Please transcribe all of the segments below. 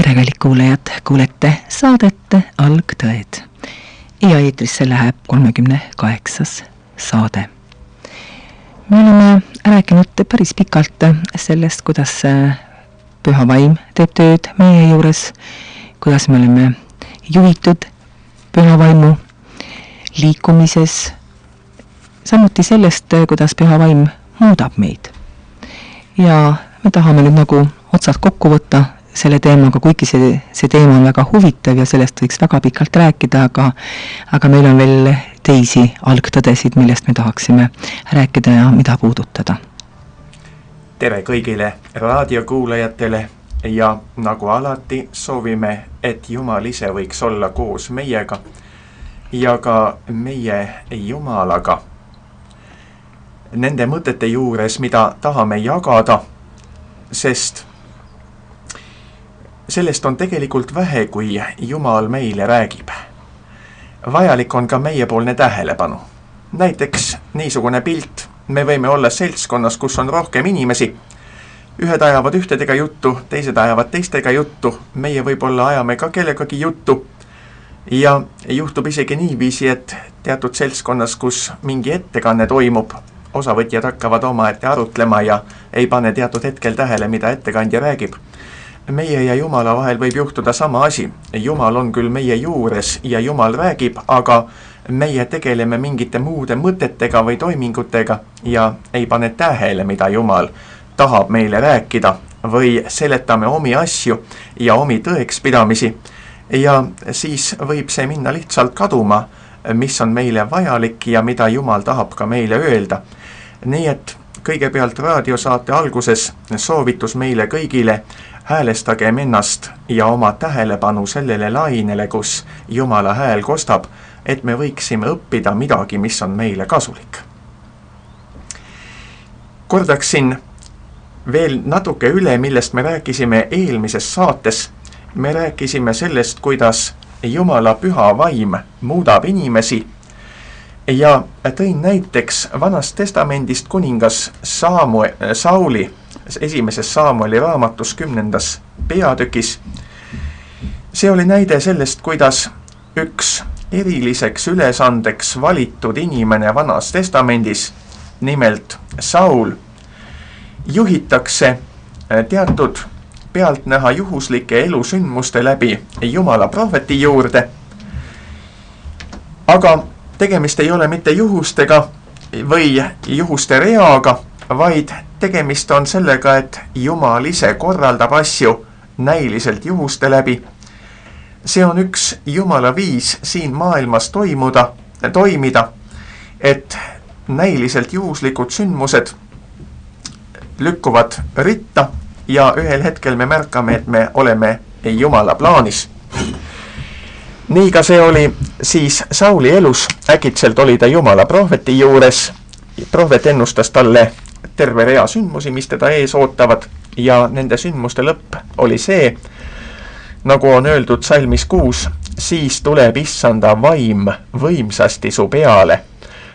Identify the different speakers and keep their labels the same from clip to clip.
Speaker 1: tere, kallid kuulajad, kuulete saadet Algtõed ja eetrisse läheb 38. saade. Me oleme rääkinud päris pikalt sellest, kuidas püha vaim teeb tööd meie juures, kuidas me oleme juhitud püha vaimu liikumises, samuti sellest, kuidas püha vaim muudab meid. Ja me tahame nüüd nagu otsad kokku võtta selle teemaga, kuigi see teema on väga huvitav ja sellest võiks väga pikalt rääkida, aga meil on veel teisi algtõdesid, millest me tahaksime rääkida ja mida puudutada.
Speaker 2: Tere kõigile raadiokuulajatele ja nagu alati soovime, et Jumal ise võiks olla koos meiega ja ka meie Jumalaga. Nende mõtete juures, mida tahame jagada, sest sellest on tegelikult vähe, kui Jumal meile räägib. Vajalik on ka meiepoolne tähelepanu. Näiteks niisugune pilt, me võime olla seltskonnas, kus on rohkem inimesi. Ühed ajavad ühtedega juttu, teised ajavad teistega juttu, meie võib-olla ajame ka kellegagi juttu. Ja juhtub isegi niiviisi, et teatud seltskonnas, kus mingi ettekanne toimub, osavõtjad hakkavad omaette arutlema ja ei pane teatud hetkel tähele, mida ettekandja räägib. Meie ja Jumala vahel võib juhtuda sama asi. Jumal on küll meie juures ja Jumal räägib, aga meie tegeleme mingite muude mõtetega või toimingutega ja ei pane tähele, mida Jumal tahab meile rääkida või seletame omi asju ja omi tõekspidamisi ja siis võib see minna lihtsalt kaduma, mis on meile vajalik ja mida Jumal tahab ka meile öelda. Nii et kõigepealt raadiosaate alguses soovitus meile kõigile, häälestagem ennast ja oma tähelepanu sellele lainele, kus Jumala hääl kostab, et me võiksime õppida midagi, mis on meile kasulik. Kordaksin veel natuke üle, millest me rääkisime eelmises saates. Me rääkisime sellest, kuidas Jumala püha vaim muudab inimesi ja tõin näiteks Vanast Testamendist kuningas Sauli esimeses Saamueli raamatus 10. peatükis. See oli näide sellest, kuidas üks eriliseks ülesandeks valitud inimene Vanas Testamendis, nimelt Saul, juhitakse teatud pealtnäha juhuslike elusündmuste läbi Jumala prohveti juurde. Aga tegemist ei ole mitte juhustega või juhuste reaga, vaid tegemist on sellega, et Jumal ise korraldab asju näiliselt juhuste läbi. See on üks Jumala viis siin maailmas toimida, et näiliselt juhuslikud sündmused lükkuvad ritta ja ühel hetkel me märkame, et me oleme Jumala plaanis. Nii ka see oli siis Sauli elus. Äkitselt oli ta Jumala prohveti juures. Prohvet ennustas talle terve rea sündmusi, mis teda ees ootavad ja nende sündmuste lõpp oli see, nagu on öeldud salmis 6, siis tuleb Issanda vaim võimsasti su peale.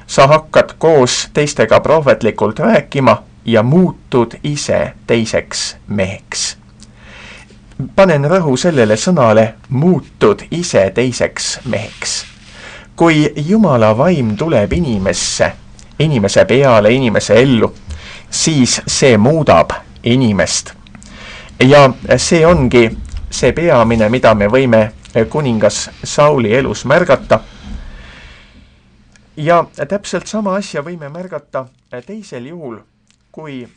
Speaker 2: Sa hakkad koos teistega prohvetlikult rääkima ja muutud ise teiseks meheks. Panen rõhu sellele sõnale, muutud ise teiseks meheks. Kui Jumala vaim tuleb inimese peale, inimese ellu, siis see muudab inimest. Ja see ongi see peamine, mida me võime kuningas Sauli elus märgata. Ja täpselt sama asja võime märgata teisel juhul, kui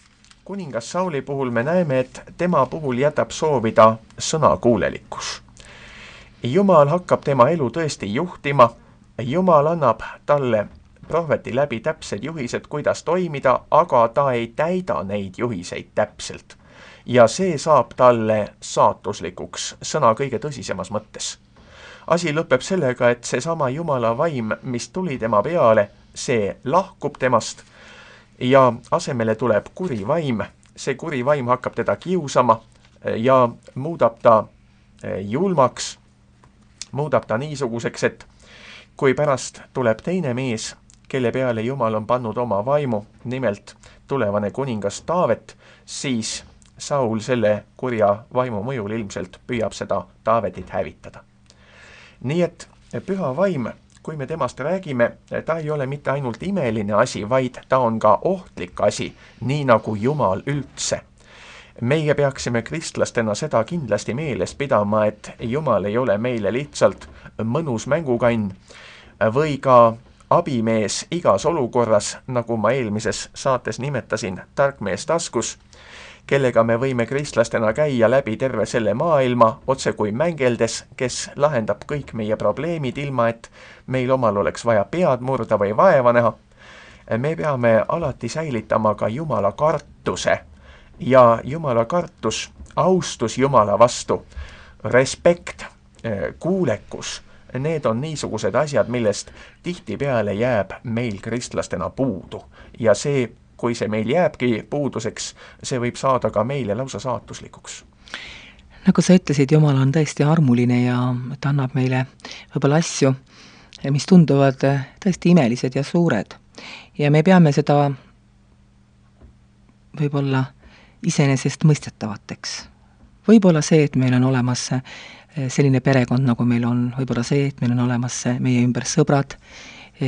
Speaker 2: kuningas Sauli puhul me näeme, et tema puhul jätab soovida sõnakuulelikkus. Jumal hakkab tema elu tõesti juhtima, Jumal annab talle prohveti läbi täpsed juhised, kuidas toimida, aga ta ei täida neid juhiseid täpselt. Ja see saab talle saatuslikuks sõna kõige tõsisemas mõttes. Asi lõpeb sellega, et see sama Jumala vaim, mis tuli tema peale, see lahkub temast ja asemele tuleb kuri vaim. See kuri vaim hakkab teda kiusama ja muudab ta julmaks, muudab ta niisuguseks, et kui pärast tuleb teine mees, kelle peale Jumal on pannud oma vaimu, nimelt tulevane kuningas Taavet, siis Saul selle kurja vaimu mõjul ilmselt püüab seda Taavetit hävitada. Nii et püha vaim, kui me temast räägime, ta ei ole mitte ainult imeline asi, vaid ta on ka ohtlik asi, nii nagu Jumal üldse. Meie peaksime kristlastena seda kindlasti meeles pidama, et Jumal ei ole meile lihtsalt mõnus mängukann või ka abimees igas olukorras, nagu ma eelmises saates nimetasin, tarkmees taskus, kellega me võime kristlastena käia läbi terve selle maailma, otse kui mängeldes, kes lahendab kõik meie probleemid, ilma et meil omal oleks vaja pead murda või vaeva näha. Me peame alati säilitama ka Jumala kartuse ja Jumala kartus, austus Jumala vastu, respekt, kuulekus. Need on niisugused asjad, millest tihtipeale jääb meil kristlastena puudu. Ja see, kui see meil jääbki puuduseks, see võib saada ka meile lausa saatuslikuks.
Speaker 1: Nagu sa ütlesid, Jumal on tõesti armuline ja ta annab meile võib-olla asju, mis tunduvad tõesti imelised ja suured. Ja me peame seda võib-olla iseenesest mõistetavateks. Võib-olla see, et meil on olemas selline perekond, nagu meil on, võib-olla see, et meil on olemas meie ümber sõbrad,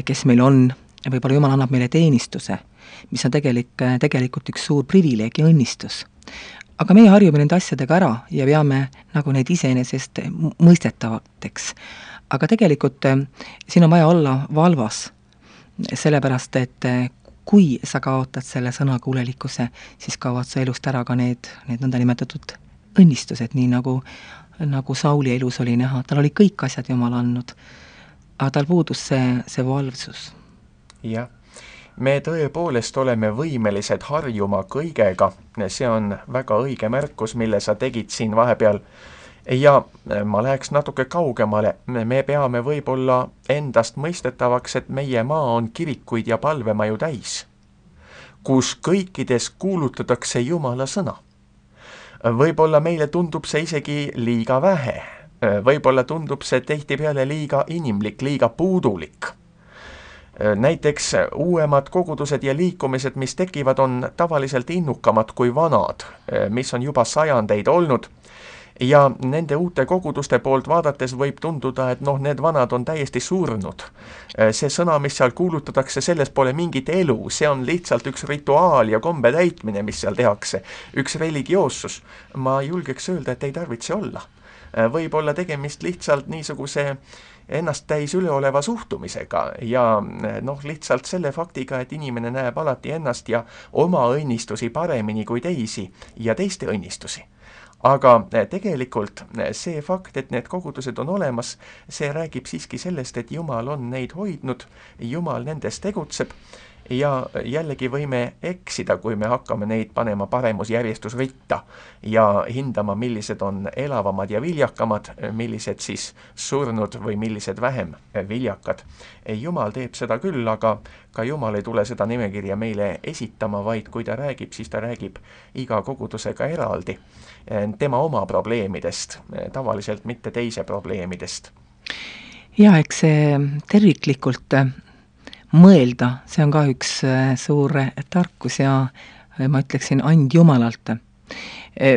Speaker 1: kes meil on, ja võib-olla Jumal annab meile teenistuse, mis on tegelikult üks suur privileeg ja õnnistus. Aga meie harjume nende asjadega ära ja peame nagu neid iseenesest mõistetavateks. Aga tegelikult siin on vaja olla valvas, sellepärast, et kui sa kaotad selle sõnakuulelikkuse, siis kaovad sa elust ära ka need nõndanimetatud õnnistused, nii nagu Sauli elus oli näha. Tal oli kõik asjad Jumal andnud, aga tal puudus see valvsus.
Speaker 2: Jah, me tõepoolest oleme võimelised harjuma kõigega, see on väga õige märkus, mille sa tegid siin vahepeal. Ja ma läheks natuke kaugemale, me peame võib-olla endast mõistetavaks, et meie maa on kirikuid ja palvemaju täis, kus kõikides kuulutatakse Jumala sõna. Võib-olla meile tundub see isegi liiga vähe, võib-olla tundub see tihtipeale liiga inimlik, liiga puudulik. Näiteks uuemad kogudused ja liikumised, mis tekivad, on tavaliselt innukamad kui vanad, mis on juba sajandeid olnud. Ja nende uute koguduste poolt vaadates võib tunduda, et need vanad on täiesti surnud. See sõna, mis seal kuulutatakse, selles pole mingit elu, see on lihtsalt üks rituaal ja kombe täitmine, mis seal tehakse, üks religioossus. Ma julgeks öelda, et ei tarvitse olla. Võib olla tegemist lihtsalt niisuguse ennast täis üleoleva suhtumisega ja lihtsalt selle faktiga, et inimene näeb alati ennast ja oma õnnistusi paremini kui teisi ja teiste õnnistusi. Aga tegelikult see fakt, et need kogudused on olemas, see räägib siiski sellest, et Jumal on neid hoidnud, Jumal nendes tegutseb ja jällegi võime eksida, kui me hakkame neid panema paremusjärjestusritta ja hindama, millised on elavamad ja viljakamad, millised siis surnud või millised vähem viljakad. Jumal teeb seda küll, aga ka Jumal ei tule seda nimekirja meile esitama, vaid kui ta räägib, siis ta räägib iga kogudusega eraldi tema oma probleemidest, tavaliselt mitte teise probleemidest.
Speaker 1: Ja eks see terviklikult mõelda, see on ka üks suur tarkus ja ma ütleksin and Jumalalt.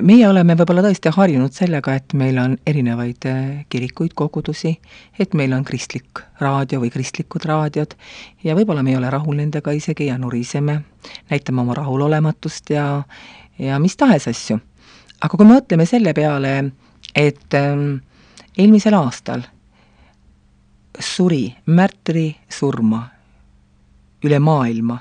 Speaker 1: Meie oleme võib-olla tõesti harjunud sellega, et meil on erinevaid kirikuid, kogudusi, et meil on kristlik raadio või kristlikud raadiod ja võib-olla me ei ole rahul nendega isegi ja nuriseme, näitame oma rahulolematust ja mis tahes asju. Aga kui me mõtleme selle peale, et eelmisel aastal suri märtri surma üle maailma.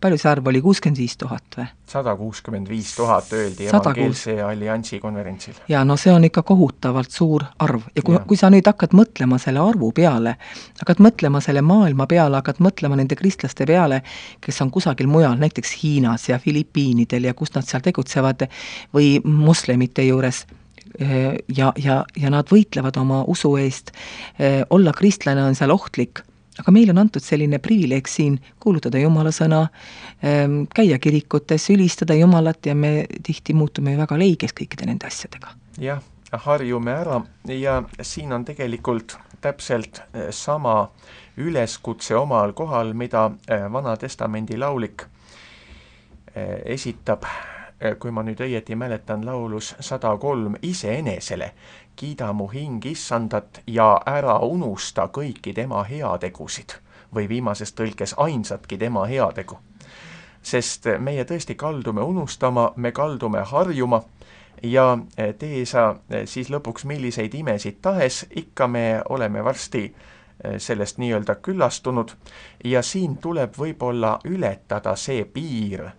Speaker 1: Palju see arv oli? 65 000 või?
Speaker 2: 165 000 öeldi Evangeelse Alliansi konverentsil.
Speaker 1: Ja see on ikka kohutavalt suur arv. Ja kui sa nüüd hakkad mõtlema selle arvu peale, hakkad mõtlema selle maailma peale, hakkad mõtlema nende kristlaste peale, kes on kusagil mujal, näiteks Hiinas ja Filipiinidel ja kus nad seal tegutsevad või moslemite juures, ja nad võitlevad oma usu eest, olla kristlane on seal ohtlik. Aga meil on antud selline privileeg siin kuulutada Jumala sõna, käia kirikutes, ülistada Jumalat ja me tihti muutume väga leiges kõikide nende asjadega.
Speaker 2: Jah, harjume ära ja siin on tegelikult täpselt sama üleskutse omal kohal, mida Vana Testamendi laulik esitab kui ma nüüd õieti mäletan, laulus 103 iseenesele, kiida mu hing issandat ja ära unusta kõiki tema heategusid või viimases tõlkes ainsatki tema heategu. Sest meie tõesti kaldume unustama, me kaldume harjuma ja tee sa siis lõpuks milliseid imesid tahes, ikka me oleme varsti sellest nii-öelda küllastunud ja siin tuleb võib-olla ületada see piir,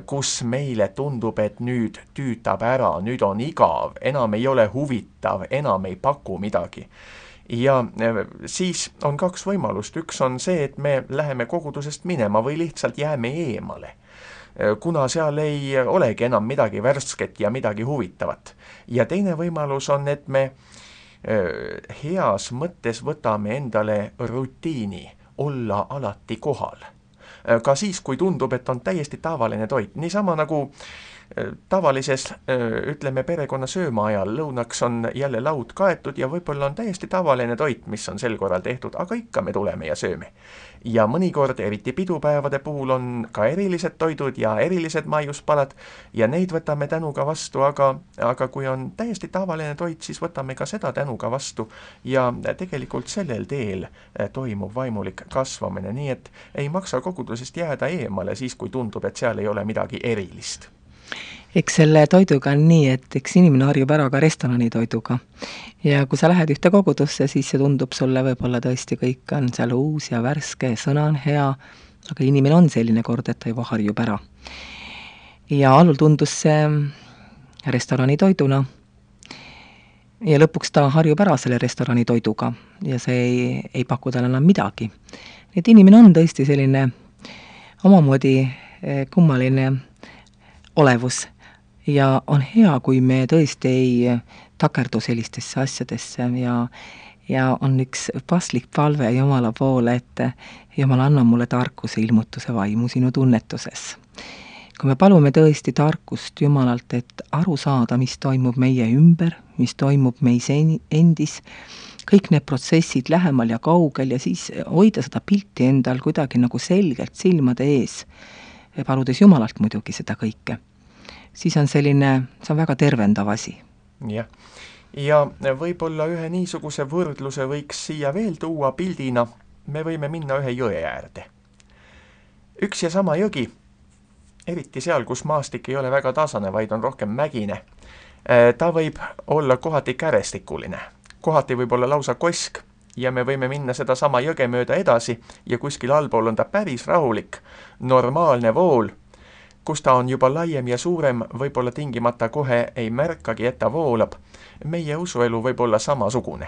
Speaker 2: kus meile tundub, et nüüd tüütab ära, nüüd on igav, enam ei ole huvitav, enam ei paku midagi. Ja siis on kaks võimalust, üks on see, et me läheme kogudusest minema või lihtsalt jääme eemale, kuna seal ei olegi enam midagi värsket ja midagi huvitavat. Ja teine võimalus on, et me heas mõttes võtame endale rutiini olla alati kohal. Ka siis, kui tundub, et on täiesti tavaline toit. Niisama nagu tavalises, ütleme, perekonna sööma ajal lõunaks on jälle laud kaetud ja võib-olla on täiesti tavaline toit, mis on sel korral tehtud, aga ikka me tuleme ja sööme. Ja mõnikord, eriti pidupäevade puhul, on ka erilised toidud ja erilised maiuspalad ja neid võtame tänuga vastu, aga kui on täiesti tavaline toit, siis võtame ka seda tänuga vastu ja tegelikult sellel teel toimub vaimulik kasvamine, nii et ei maksa kogudusest jääda eemale siis, kui tundub, et seal ei ole midagi erilist.
Speaker 1: Eks selle toiduga on nii, et eks inimene harjub ära ka restorani toiduga. Ja kui sa lähed ühte kogudusse, siis see tundub sulle võib-olla tõesti kõik on seal uus ja värske, sõna on hea, aga inimene on selline kord, et ta juba harjub ära. Ja allul tundus see restorani toiduna ja lõpuks ta harjub ära selle restorani toiduga ja see ei paku talle enam midagi. Nii et inimene on tõesti selline omamoodi kummaline olevus ja on hea, kui me tõesti ei takerdu sellistesse asjadesse ja on üks paslik palve Jumala poole, et Jumal, anna mulle tarkuse ilmutuse vaimu sinu tunnetuses. Kui me palume tõesti tarkust Jumalalt, et aru saada, mis toimub meie ümber, mis toimub meis endis, kõik need protsessid lähemal ja kaugel ja siis hoida seda pilti endal kuidagi nagu selgelt silmade ees, paludes Jumalalt muidugi seda kõike, siis on selline, see on väga tervendav asi.
Speaker 2: Jah. Ja võib-olla ühe niisuguse võrdluse võiks siia veel tuua pildina, me võime minna ühe jõe äärde. Üks ja sama jõgi, eriti seal, kus maastik ei ole väga tasane, vaid on rohkem mägine, ta võib olla kohati kärestikuline, kohati võib olla lausa kosk ja me võime minna seda sama jõge mööda edasi ja kuskil allpool on ta päris rahulik, normaalne vool, kus ta on juba laiem ja suurem, võib-olla tingimata kohe ei märkagi, et ta voolab. Meie usuelu võib olla samasugune.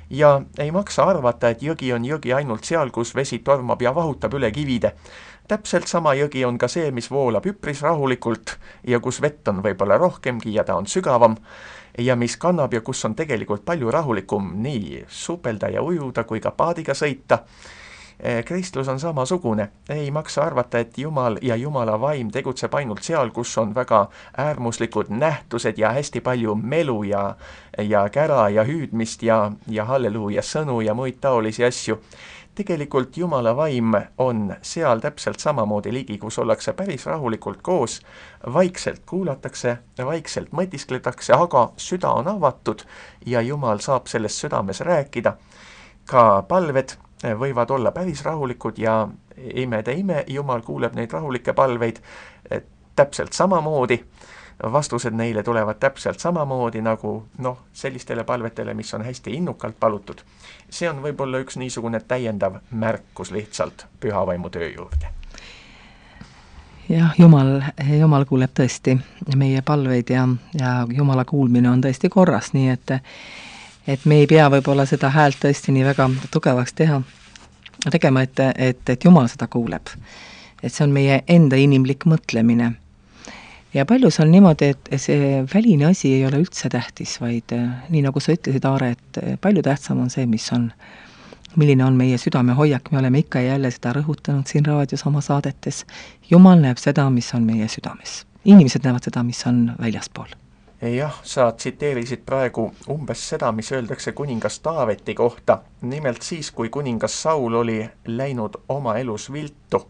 Speaker 2: Ja ei maksa arvata, et jõgi on jõgi ainult seal, kus vesi tormab ja vahutab üle kivide. Täpselt sama jõgi on ka see, mis voolab üpris rahulikult ja kus vett on võib-olla rohkemgi ja ta on sügavam ja mis kannab ja kus on tegelikult palju rahulikum nii supelda ja ujuda kui ka paadiga sõita. Kristlus on samasugune. Ei maksa arvata, et Jumal ja Jumala vaim tegutseb ainult seal, kus on väga äärmuslikud nähtused ja hästi palju melu ja kära ja hüüdmist ja halleluuja sõnu ja muid taolisi asju. Tegelikult Jumala vaim on seal täpselt samamoodi ligi, kus ollakse päris rahulikult koos, vaikselt kuulatakse, vaikselt mõtiskletakse, aga süda on avatud ja Jumal saab selles südames rääkida. Ka palved võivad olla päris rahulikud ja imede ime, Jumal kuuleb neid rahulikke palveid täpselt samamoodi. Vastused neile tulevad täpselt samamoodi nagu sellistele palvetele, mis on hästi innukalt palutud. See on võib-olla üks niisugune täiendav märkus lihtsalt pühavaimu töö juurde.
Speaker 1: Jah, Jumal kuuleb tõesti meie palveid ja Jumala kuulmine on tõesti korras, nii et me ei pea võib-olla seda häält tõesti nii väga tugevaks tegema, et Jumal seda kuuleb. Et see on meie enda inimlik mõtlemine. Ja paljus on niimoodi, et see väline asi ei ole üldse tähtis, vaid nii nagu sa ütlesid, Aare, et palju tähtsam on see, milline on meie südame hoiak. Me oleme ikka jälle seda rõhutanud siin raadios oma saadetes. Jumal näeb seda, mis on meie südames. Inimesed näevad seda, mis on väljaspool.
Speaker 2: Jah, sa tsiteerisid praegu umbes seda, mis öeldakse kuningas Taaveti kohta. Nimelt siis, kui kuningas Saul oli läinud oma elus viltu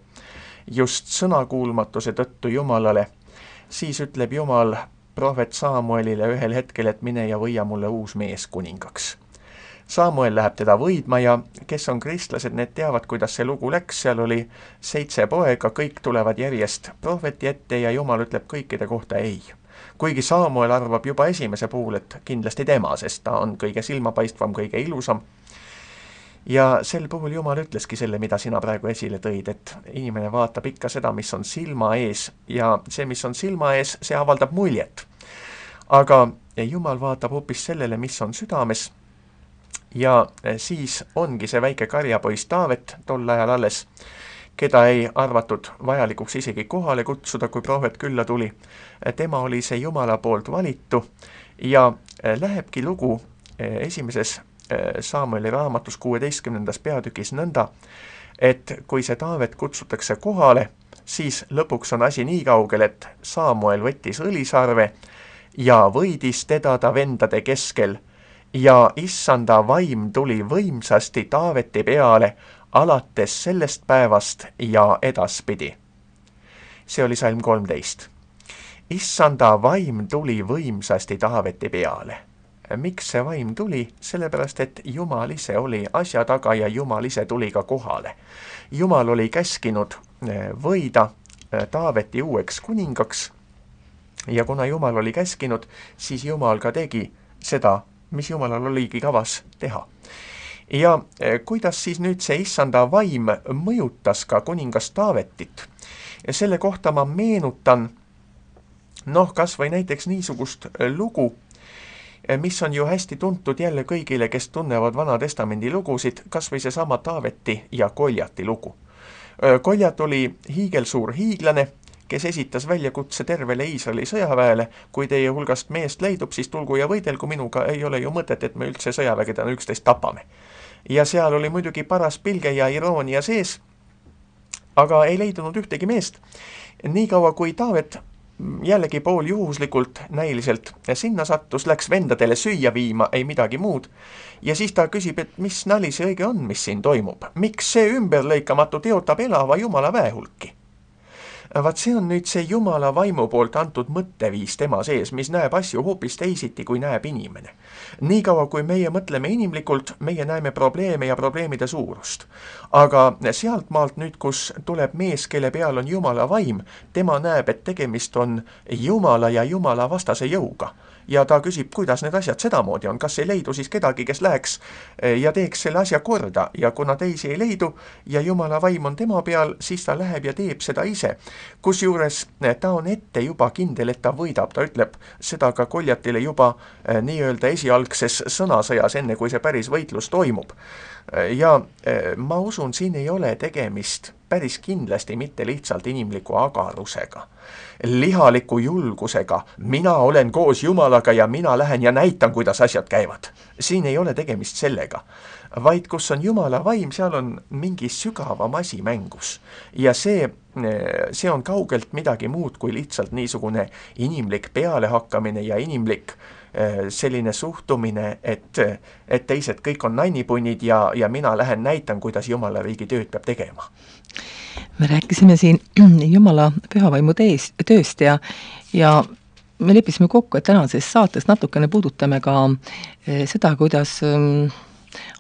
Speaker 2: just sõnakuulmatuse tõttu Jumalale, siis ütleb Jumal prohvet Samuelile ühel hetkel, et mine ja võia mulle uus mees kuningaks. Samuel läheb teda võidma ja kes on kristlased, need teavad, kuidas see lugu läks, seal oli 7 poega, kõik tulevad järjest prohveti ette ja Jumal ütleb kõikide kohta ei. Kuigi Samuel arvab juba esimese puhul, et kindlasti tema, sest ta on kõige silmapaistvam, kõige ilusam. Ja sel puhul Jumal ütleski selle, mida sina praegu esile tõid, et inimene vaatab ikka seda, mis on silma ees ja see, mis on silma ees, see avaldab muljet. Aga Jumal vaatab hoopis sellele, mis on südames. Ja siis ongi see väike karjapoiss Taavet tol ajal alles, keda ei arvatud vajalikuks isegi kohale kutsuda, kui prohvet külla tuli. Tema oli see Jumala poolt valitu ja lähebki lugu esimeses Samueli raamatus 16. peatükis nõnda, et kui see Taavet kutsutakse kohale, siis lõpuks on asi nii kaugel, et Samuel võttis õlisarve ja võidis teda ta vendade keskel ja issanda vaim tuli võimsasti Taaveti peale alates sellest päevast ja edaspidi. See oli salm 13. Issanda vaim tuli võimsasti Taaveti peale. Miks see vaim tuli? Sellepärast, et Jumal ise oli asja taga ja Jumal ise tuli ka kohale. Jumal oli käskinud võida Taaveti uueks kuningaks ja kuna Jumal oli käskinud, siis Jumal ka tegi seda, mis Jumalal oligi kavas teha. Ja kuidas siis nüüd see issanda vaim mõjutas ka kuningas Taavetit? Selle kohta ma meenutan, kas või näiteks niisugust lugu, mis on ju hästi tuntud jälle kõigile, kes tunnevad Vana Testamendi lugusid, kas või seesama Taaveti ja Koljati lugu. Koljat oli hiigelsuur hiiglane, kes esitas väljakutse tervele Iisraeli sõjaväele, kui teie hulgast meest leidub, siis tulgu ja võidelgu minuga, ei ole ju mõtet, et me üldse sõjavägedena üksteist tapame. Ja seal oli muidugi paras pilge ja iroonia sees, aga ei leidunud ühtegi meest. Niikaua kui Taavet jällegi pool juhuslikult, näiliselt sinna sattus, läks vendadele süüa viima, ei midagi muud. Ja siis ta küsib, et mis nali see õige on, mis siin toimub. Miks see ümberlõikamatu teotab elava Jumala väehulki? Vaat see on nüüd see Jumala vaimu poolt antud mõtteviis tema sees, mis näeb asju hoopis teisiti, kui näeb inimene. Niikaua kui meie mõtleme inimlikult, meie näeme probleeme ja probleemide suurust. Aga sealt maalt nüüd, kus tuleb mees, kelle peal on Jumala vaim, tema näeb, et tegemist on Jumala ja Jumala vastase jõuga. Ja ta küsib, kuidas need asjad sedamoodi on, kas ei leidu siis kedagi, kes läheks ja teeks selle asja korda ja kuna teisi ei leidu ja Jumala vaim on tema peal, siis ta läheb ja teeb seda ise. Kusjuures ta on ette juba kindel, et ta võidab, ta ütleb seda ka Koljatile juba nii-öelda esialgses sõnasõjas, enne kui see päris võitlus toimub. Ja ma usun, siin ei ole tegemist päris kindlasti mitte lihtsalt inimliku agarusega, lihaliku julgusega, mina olen koos Jumalaga ja mina lähen ja näitan, kuidas asjad käivad. Siin ei ole tegemist sellega, vaid kus on Jumala vaim, seal on mingi sügavam asi mängus. Ja see on kaugelt midagi muud kui lihtsalt niisugune inimlik pealehakkamine ja inimlik selline suhtumine, et teised kõik on nannipunnid ja mina lähen näitan, kuidas Jumala riigi tööd peab tegema.
Speaker 1: Me rääkisime siin Jumala pühavaimu tööst ja me leppisime kokku, et tänases saates natukene puudutame ka seda, kuidas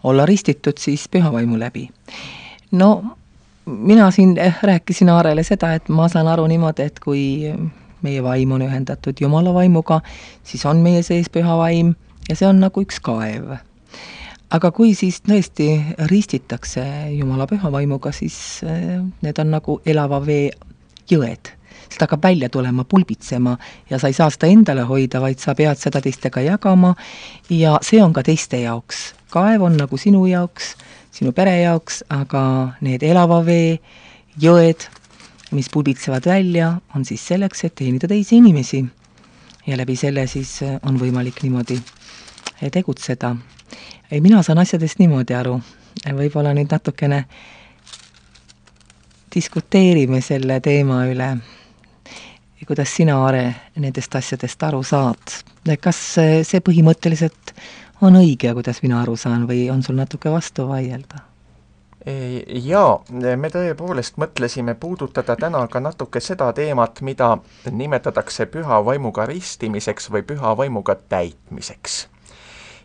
Speaker 1: olla ristitud siis pühavaimu läbi. Mina siin rääkisin Aarele seda, et ma saan aru niimoodi, et kui meie vaim on ühendatud Jumala vaimuga, siis on meie sees püha vaim ja see on nagu üks kaev. Aga kui siis tõesti ristitakse Jumala püha vaimuga, siis need on nagu elava vee jõed. Seda hakkab välja tulema, pulbitsema ja sa ei saa seda endale hoida, vaid sa pead seda teistega jagama ja see on ka teiste jaoks. Kaev on nagu sinu jaoks, sinu pere jaoks, aga need elava vee jõed, mis pulbitsevad välja, on siis selleks, et teenida teisi inimesi. Ja läbi selle siis on võimalik niimoodi tegutseda. Mina saan asjadest niimoodi aru. Võib-olla nüüd natukene diskuteerime selle teema üle. Kuidas sina, Aare, nendest asjadest aru saad? Kas see põhimõtteliselt on õige, kuidas mina aru saan, või on sul natuke vastu vaielda?
Speaker 2: Jaa, me tõepoolest mõtlesime puudutada täna ka natuke seda teemat, mida nimetatakse püha vaimuga ristimiseks või püha vaimuga täitmiseks.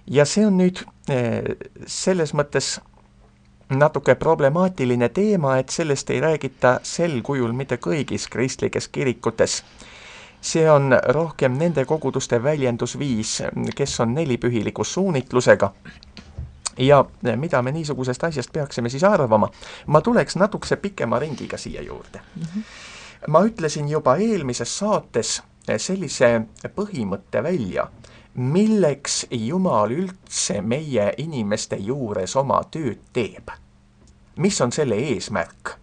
Speaker 2: Ja see on nüüd selles mõttes natuke problemaatiline teema, et sellest ei räägita sel kujul mitte kõigis kristlikes kirikutes. See on rohkem nende koguduste väljendusviis, kes on nelipühiliku suunitlusega. Ja mida me niisugusest asjast peaksime siis arvama? Ma tuleks natukese pikema ringiga siia juurde. Ma ütlesin juba eelmises saates sellise põhimõtte välja, milleks Jumal üldse meie inimeste juures oma tööd teeb. Mis on selle eesmärk?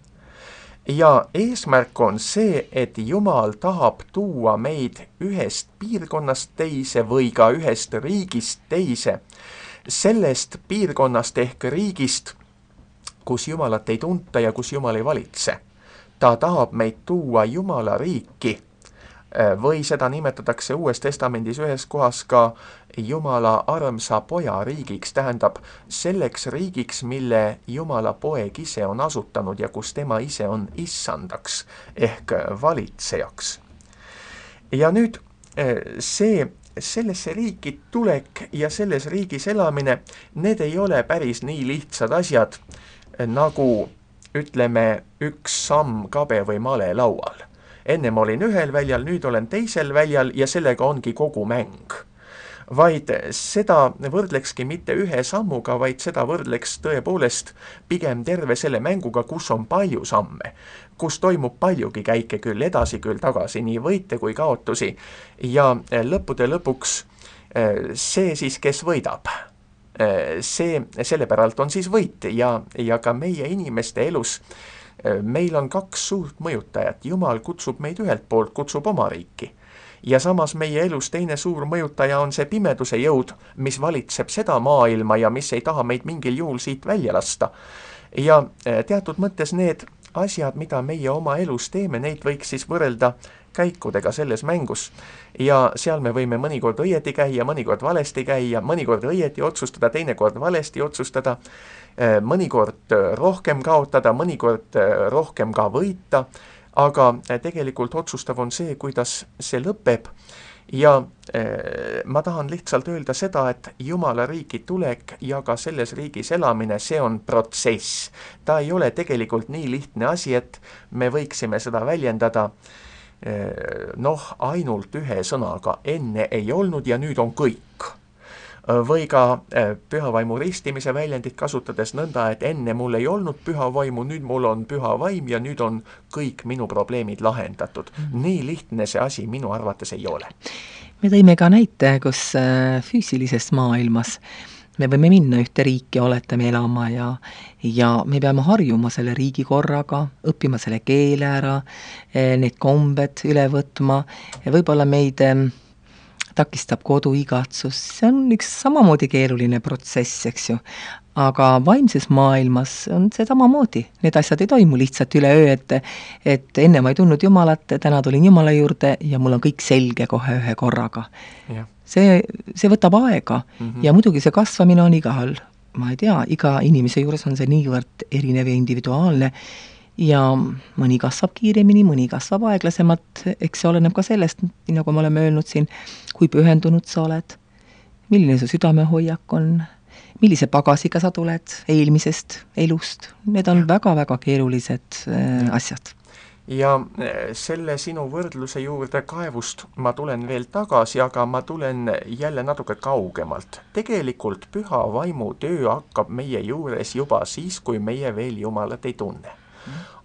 Speaker 2: Ja eesmärk on see, et Jumal tahab tuua meid ühest piirkonnast teise või ka ühest riigist teise, sellest piirkonnast ehk riigist, kus Jumalat ei tunta ja kus Jumal ei valitse. Ta tahab meid tuua Jumala riiki või seda nimetatakse Uues Testamendis ühes kohas ka Jumala armsa poja riigiks, tähendab selleks riigiks, mille Jumala poeg ise on asutanud ja kus tema ise on issandaks ehk valitsejaks. Ja nüüd sellesse riiki tulek ja selles riigis elamine, need ei ole päris nii lihtsad asjad, nagu ütleme üks samm kabe või male laual. Ennem olin ühel väljal, nüüd olen teisel väljal ja sellega ongi kogu mäng. Vaid seda võrdlekski mitte ühe sammuga, vaid seda võrdleks tõepoolest pigem terve selle mänguga, kus on palju samme, kus toimub paljugi käike küll edasi, küll tagasi, nii võite kui kaotusi. Ja lõppude lõpuks see siis, kes võidab, selle päralt on siis võit ja ka meie inimeste elus meil on kaks suurt mõjutajat. Jumal kutsub meid ühelt poolt, kutsub oma riiki. Ja samas meie elus teine suur mõjutaja on see pimeduse jõud, mis valitseb seda maailma ja mis ei taha meid mingil juhul siit välja lasta. Ja teatud mõttes need asjad, mida meie oma elus teeme, neid võiks siis võrrelda käikudega selles mängus. Ja seal me võime mõnikord õieti käia, mõnikord valesti käia, mõnikord õieti otsustada, teinekord valesti otsustada, mõnikord rohkem kaotada, mõnikord rohkem ka võita, aga tegelikult otsustav on see, kuidas see lõpeb. Ja ma tahan lihtsalt öelda seda, et Jumala riiki tulek ja ka selles riigis elamine, see on protsess. Ta ei ole tegelikult nii lihtne asi, et me võiksime seda väljendada ainult ühe sõnaga, enne ei olnud ja nüüd on kõik. Või ka püha vaimu ristimise väljendit kasutades nõnda, et enne mul ei olnud püha vaimu, nüüd mul on püha vaim ja nüüd on kõik minu probleemid lahendatud. Nii lihtne see asi minu arvates ei ole.
Speaker 1: Me tõime ka näite, kus füüsilises maailmas me võime minna ühte riiki, oletame elama ja me peame harjuma selle riigi korraga, õppima selle keele ära, need kombed üle võtma, võib-olla meid takistab koduigatsus, see on üks samamoodi keeruline protsess, eks ju. Aga vaimses maailmas on see samamoodi. Need asjad ei toimu lihtsalt üleöö, et enne ma ei tundnud Jumalat, täna tulin Jumala juurde ja mul on kõik selge kohe ühe korraga.
Speaker 2: Yeah.
Speaker 1: See võtab aega ja muidugi see kasvamine on igahal, ma ei tea, iga inimese juures on see niivõrd erinev ja individuaalne ja mõni kasvab kiiremini, mõni kasvab aeglasemalt, eks see oleneb ka sellest, nagu me oleme öelnud siin, kui pühendunud sa oled, milline su südamehoiak on, millise pagasiga sa tuled eelmisest elust. Need on väga-väga keerulised asjad.
Speaker 2: Ja selle sinu võrdluse juurde kaevust ma tulen veel tagasi, aga ma tulen jälle natuke kaugemalt. Tegelikult püha vaimu töö hakkab meie juures juba siis, kui meie veel Jumalat ei tunne.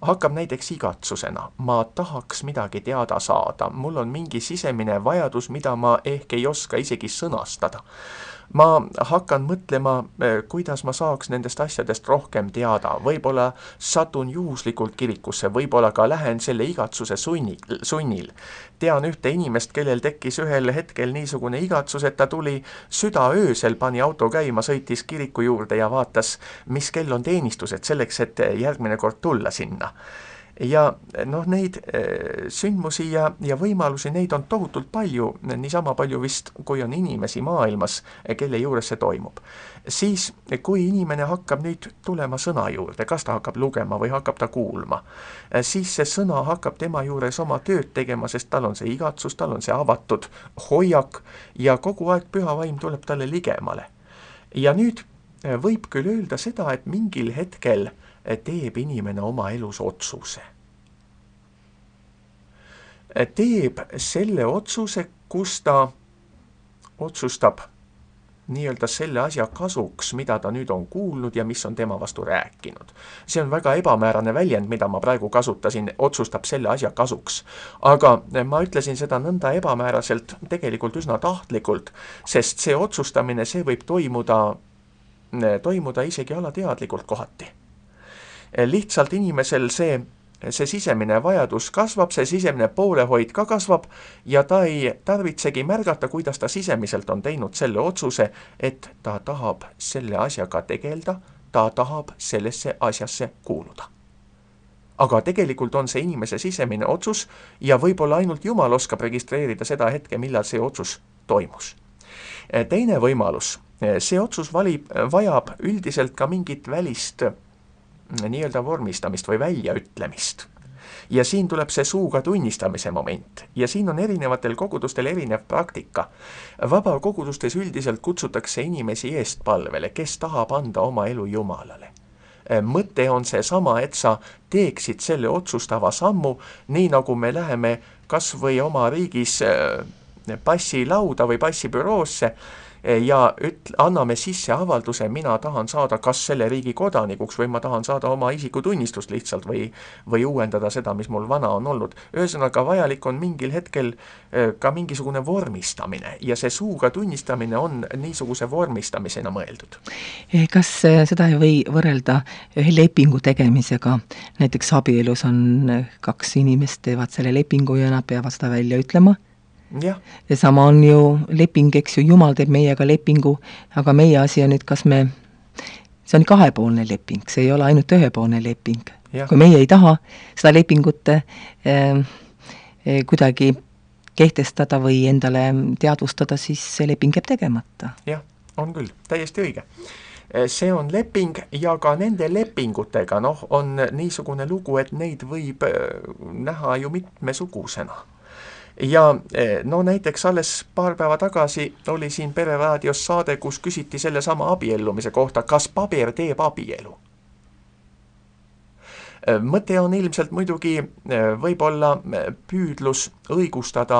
Speaker 2: Hakkab näiteks igatsusena. Ma tahaks midagi teada saada. Mul on mingi sisemine vajadus, mida ma ehk ei oska isegi sõnastada. Ma hakkan mõtlema, kuidas ma saaks nendest asjadest rohkem teada. Võib-olla satun juhuslikult kirikusse, võib-olla ka lähen selle igatsuse sunnil. Tean ühte inimest, kellel tekkis ühel hetkel niisugune igatsus, et ta tuli südaöösel, pani auto käima, sõitis kiriku juurde ja vaatas, mis kell on teenistused selleks, et järgmine kord tulla sinna. Ja noh, neid sündmusi ja võimalusi, neid on tohutult palju, niisama palju vist, kui on inimesi maailmas, kelle juures see toimub. Siis, kui inimene hakkab nüüd tulema sõna juurde, kas ta hakkab lugema või hakkab ta kuulma, siis see sõna hakkab tema juures oma tööd tegema, sest tal on see igatsus, tal on see avatud hoiak ja kogu aeg püha vaim tuleb talle ligemale. Ja nüüd võib küll öelda seda, et mingil hetkel teeb inimene oma elus otsuse. Teeb selle otsuse, kus ta otsustab nii-öelda selle asja kasuks, mida ta nüüd on kuulnud ja mis on tema vastu rääkinud. See on väga ebamäärane väljend, mida ma praegu kasutasin, otsustab selle asja kasuks. Aga ma ütlesin seda nõnda ebamääraselt, tegelikult üsna tahtlikult, sest see otsustamine, see võib toimuda isegi alateadlikult kohati. Lihtsalt inimesel see sisemine vajadus kasvab, see sisemine poolehoid ka kasvab ja ta ei tarvitsegi märgata, kuidas ta sisemiselt on teinud selle otsuse, et ta tahab selle asjaga tegelda, ta tahab sellesse asjasse kuuluda. Aga tegelikult on see inimese sisemine otsus ja võib-olla ainult Jumal oskab registreerida seda hetke, millal see otsus toimus. Teine võimalus, see otsus vajab üldiselt ka mingit välist nii-öelda vormistamist või väljaütlemist. Ja siin tuleb see suuga tunnistamise moment. Ja siin on erinevatel kogudustel erinev praktika. Vabakogudustes üldiselt kutsutakse inimesi eestpalvele, kes tahab anda oma elu Jumalale. Mõte on see sama, et sa teeksid selle otsustava sammu, nii nagu me läheme kas või oma riigis passilauda või passibüroosse ja anname sisse avalduse, mina tahan saada kas selle riigi kodanikuks või ma tahan saada oma isikutunnistust lihtsalt või uuendada seda, mis mul vana on olnud. Ühesõnaga vajalik on mingil hetkel ka mingisugune vormistamine ja see suuga tunnistamine on niisuguse vormistamisena mõeldud.
Speaker 1: Kas seda ei või võrrelda ühe lepingu tegemisega? Näiteks abielus on kaks inimest, teevad selle lepingu ja nad peavad seda välja ütlema?
Speaker 2: Ja
Speaker 1: sama on ju leping, eks ju, Jumal teeb meiega lepingu, aga meie asi on nüüd, see on kahepoolne leping, see ei ole ainult ühepoolne leping.
Speaker 2: Ja.
Speaker 1: Kui meie ei taha seda lepingut kuidagi kehtestada või endale teadvustada, siis see leping jääb tegemata.
Speaker 2: Jah, on küll, täiesti õige. See on leping ja ka nende lepingutega on niisugune lugu, et neid võib näha ju mitmesugusena. Ja näiteks alles paar päeva tagasi oli siin Pereraadios saade, kus küsiti selle sama abiellumise kohta, kas paber teeb abielu. Mõte on ilmselt muidugi võib-olla püüdlus õigustada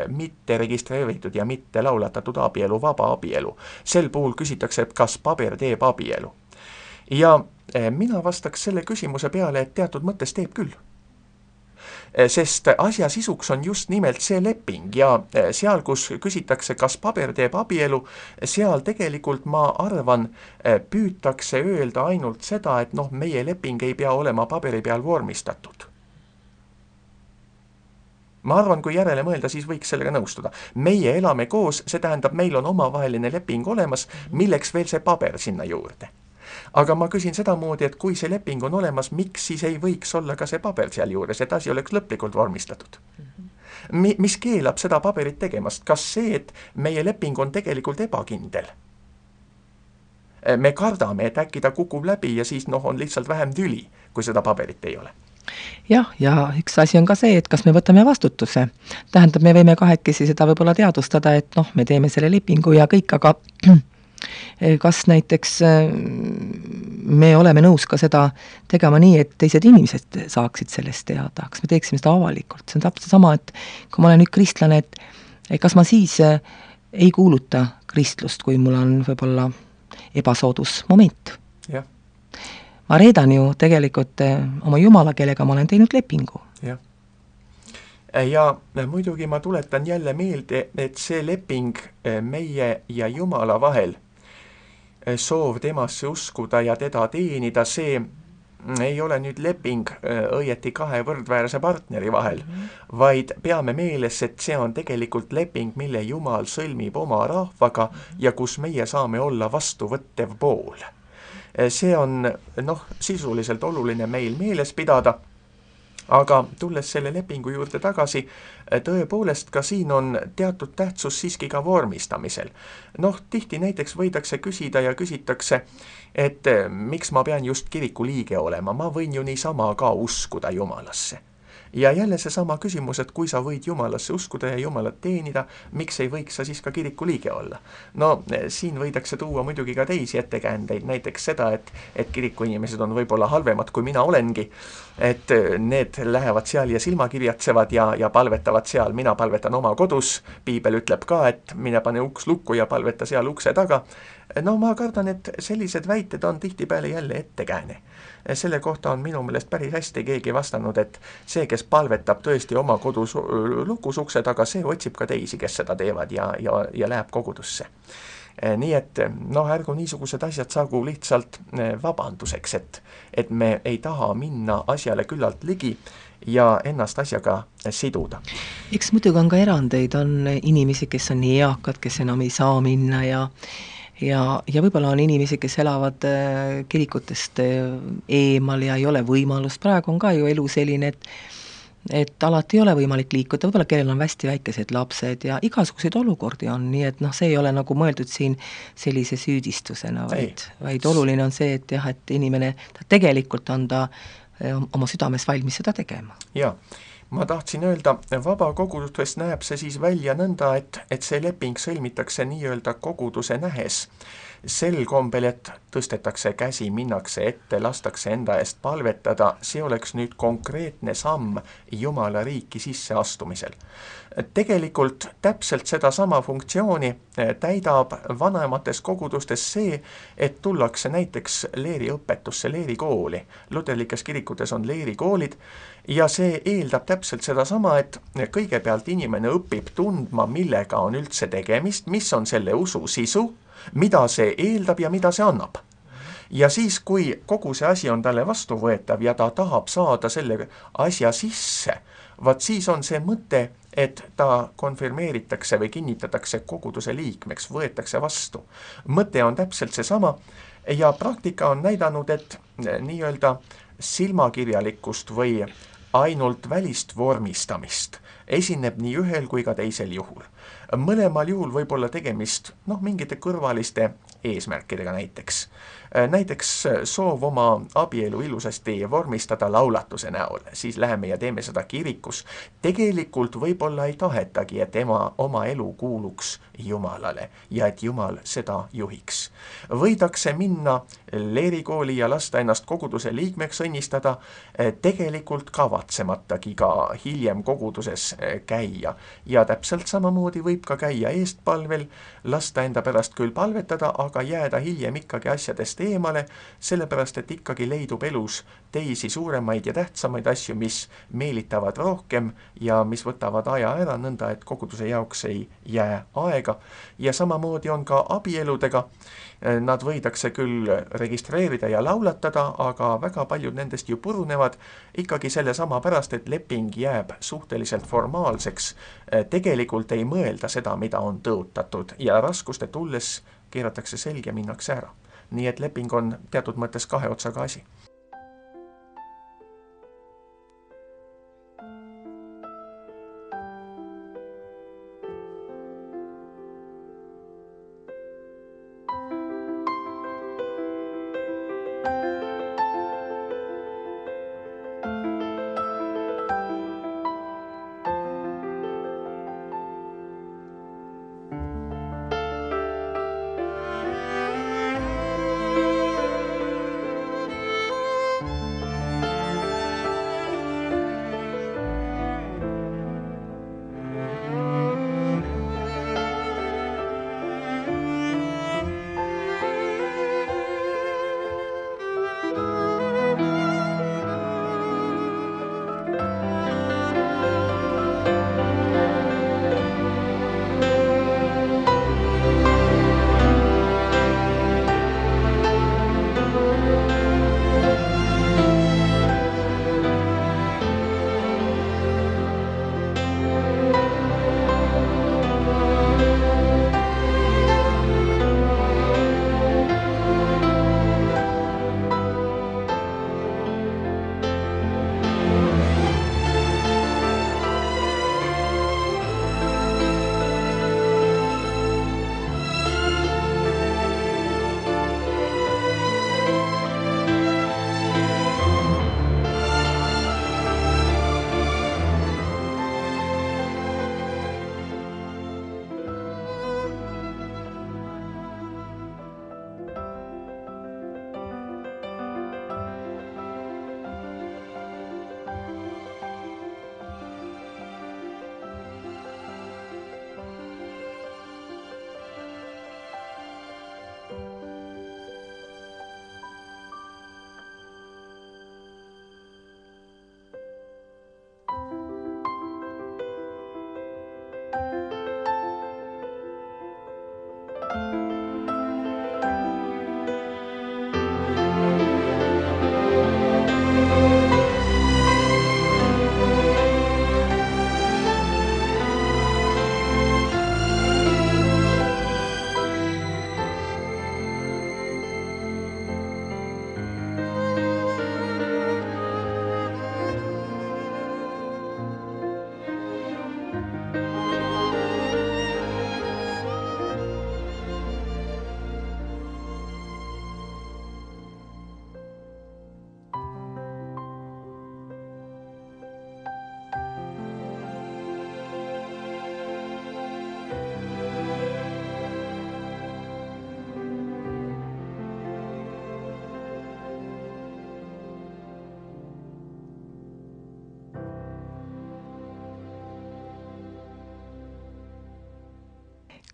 Speaker 2: mitte registreeritud ja mitte laulatatud abielu, vaba abielu. Sel puhul küsitakse, et kas paber teeb abielu. Ja mina vastaks selle küsimuse peale, et teatud mõttes teeb küll. Sest asja sisuks on just nimelt see leping ja seal, kus küsitakse, kas paber teeb abielu, seal tegelikult ma arvan, püütakse öelda ainult seda, et meie leping ei pea olema paberi peal vormistatud. Ma arvan, kui järele mõelda, siis võiks sellega nõustuda. Meie elame koos, see tähendab, meil on omavaheline leping olemas, milleks veel see paber sinna juurde. Aga ma küsin seda moodi, et kui see leping on olemas, miks siis ei võiks olla ka see paber seal juures, et asi oleks lõplikult vormistatud? Mis keelab seda paberit tegemast? Kas see, et meie leping on tegelikult ebakindel? Me kardame, et äkki ta kukub läbi ja siis on lihtsalt vähem tüli, kui seda paberit ei ole.
Speaker 1: Jah, ja üks asi on ka see, et kas me võtame vastutuse. Tähendab, me võime kahekesi seda võib-olla teadvustada, et me teeme selle lepingu ja kõik, aga kas näiteks me oleme nõus ka seda tegema nii, et teised inimesed saaksid sellest teada, kas me teeksime seda avalikult. See on täpselt sama, et kui ma olen nüüd kristlane, et kas ma siis ei kuuluta kristlust, kui mul on võib-olla ebasoodus moment.
Speaker 2: Ja.
Speaker 1: Ma reedan ju tegelikult oma Jumala, kellega ma olen teinud lepingu.
Speaker 2: Jah. Ja muidugi ma tuletan jälle meelde, et see leping meie ja Jumala vahel, soov temasse uskuda ja teda teenida, see ei ole nüüd leping õieti kahe võrdväärse partneri vahel, vaid peame meeles, et see on tegelikult leping, mille Jumal sõlmib oma rahvaga ja kus meie saame olla vastuvõttev pool. See on sisuliselt oluline meil meeles pidada Aga tulles selle lepingu juurde tagasi, tõepoolest ka siin on teatud tähtsus siiski ka vormistamisel. Noh, tihti näiteks võidakse küsida ja küsitakse, et miks ma pean just kiriku liige olema, ma võin ju niisama ka uskuda Jumalasse. Ja jälle seesama küsimus, et kui sa võid Jumalasse uskuda ja Jumalat teenida, miks ei võiks sa siis ka kiriku liige olla? No siin võidakse tuua muidugi ka teisi ettekäändeid, näiteks seda, et kiriku inimesed on võib-olla halvemad kui mina olengi, et need lähevad seal ja silmakirjatsevad ja palvetavad seal, mina palvetan oma kodus, piibel ütleb ka, et mine pane uks lukku ja palveta seal ukse taga. No ma kardan, et sellised väited on tihtipeale jälle ettekääne. Selle kohta on minu meelest päris hästi keegi vastanud, et see, kes palvetab tõesti oma kodus lukus ukse taga, see otsib ka teisi, kes seda teevad ja läheb kogudusse. Nii et ärgu niisugused asjad saagu lihtsalt vabanduseks, et me ei taha minna asjale küllalt ligi ja ennast asjaga siduda.
Speaker 1: Eks muidugi on ka erandeid, on inimesi, kes on nii eakad, kes enam ei saa minna ja võib-olla on inimesi, kes elavad kirikutest eemal ja ei ole võimalust. Praegu on ka ju elu selline, et alati ei ole võimalik liikuda, võib-olla kellel on hästi väikesed lapsed ja igasuguseid olukordi on, nii et see ei ole nagu mõeldud siin sellise süüdistusena, vaid oluline on see, et jah, et inimene, ta tegelikult on ta oma südames valmis seda tegema.
Speaker 2: Jaa. Ma tahtsin öelda, vabakogudustes näeb see siis välja nõnda, et see leping sõlmitakse nii-öelda koguduse nähes. Sel kombel, et tõstetakse käsi, minnakse ette, lastakse enda eest palvetada, see oleks nüüd konkreetne samm Jumala riiki sisseastumisel. Tegelikult täpselt sedasama funktsiooni täidab vanemates kogudustes see, et tullakse näiteks leeriõpetusse, leerikooli. Luterlikes kirikutes on leerikoolid ja see eeldab täpselt sedasama, et kõigepealt inimene õpib tundma, millega on üldse tegemist, mis on selle usu sisu, mida see eeldab ja mida see annab. Ja siis, kui kogu see asi on talle vastuvõetav ja ta tahab saada selle asja sisse, vaat siis on see mõte, et ta konfirmeeritakse või kinnitatakse koguduse liikmeks, võetakse vastu. Mõte on täpselt seesama ja praktika on näidanud, et nii-öelda silmakirjalikkust või ainult välist vormistamist esineb nii ühel kui ka teisel juhul. Mõlemal juhul võib olla tegemist mingite kõrvaliste eesmärkidega näiteks. Näiteks soov oma abielu ilusasti vormistada laulatuse näol, siis läheme ja teeme seda kirikus. Tegelikult võib-olla ei tahetagi, et oma elu kuuluks Jumalale ja et Jumal seda juhiks. Võidakse minna leerikooli ja lasta ennast koguduse liikmeks õnnistada, tegelikult kavatsematagi ka hiljem koguduses käia. Ja täpselt samamoodi võib ka käia eestpalvel, lasta enda pärast küll palvetada, aga jääda hiljem ikkagi asjadest eemale, sellepärast et ikkagi leidub elus teisi suuremaid ja tähtsamaid asju, mis meelitavad rohkem ja mis võtavad aja ära nõnda, et koguduse jaoks ei jää aega. Ja samamoodi on ka abieludega. Nad võidakse küll registreerida ja laulatada, aga väga paljud nendest ju purunevad ikkagi selle sama pärast, et leping jääb suhteliselt formaalseks. Tegelikult ei mõelda seda, mida on tõotatud ja raskuste tulles keeratakse selg ja minnakse ära. Nii et leping on teatud mõttes kahe otsaga asi.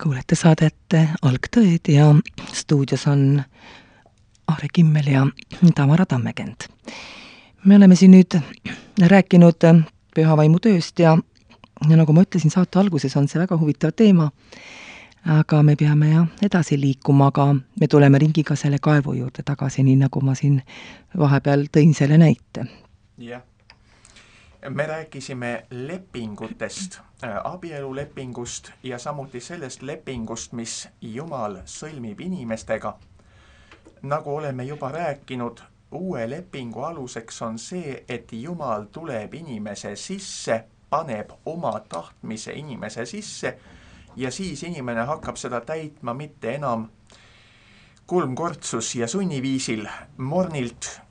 Speaker 1: kuulete saadet Algtõed ja stuudios on Aare Kimmel ja Tamara Tammekend. Me oleme siin nüüd rääkinud püha vaimu tööst ja nagu ma ütlesin, saate alguses on see väga huvitav teema, aga me peame edasi liikuma, aga me tuleme ringiga selle kaevu juurde tagasi, nii nagu ma siin vahepeal tõin selle näite.
Speaker 2: Jah. Me rääkisime lepingutest, abielulepingust ja samuti sellest lepingust, mis Jumal sõlmib inimestega. Nagu oleme juba rääkinud, uue lepingu aluseks on see, et Jumal tuleb inimese sisse, paneb oma tahtmise inimese sisse ja siis inimene hakkab seda täitma mitte enam kulmkortsus ja sunniviisil mornilt,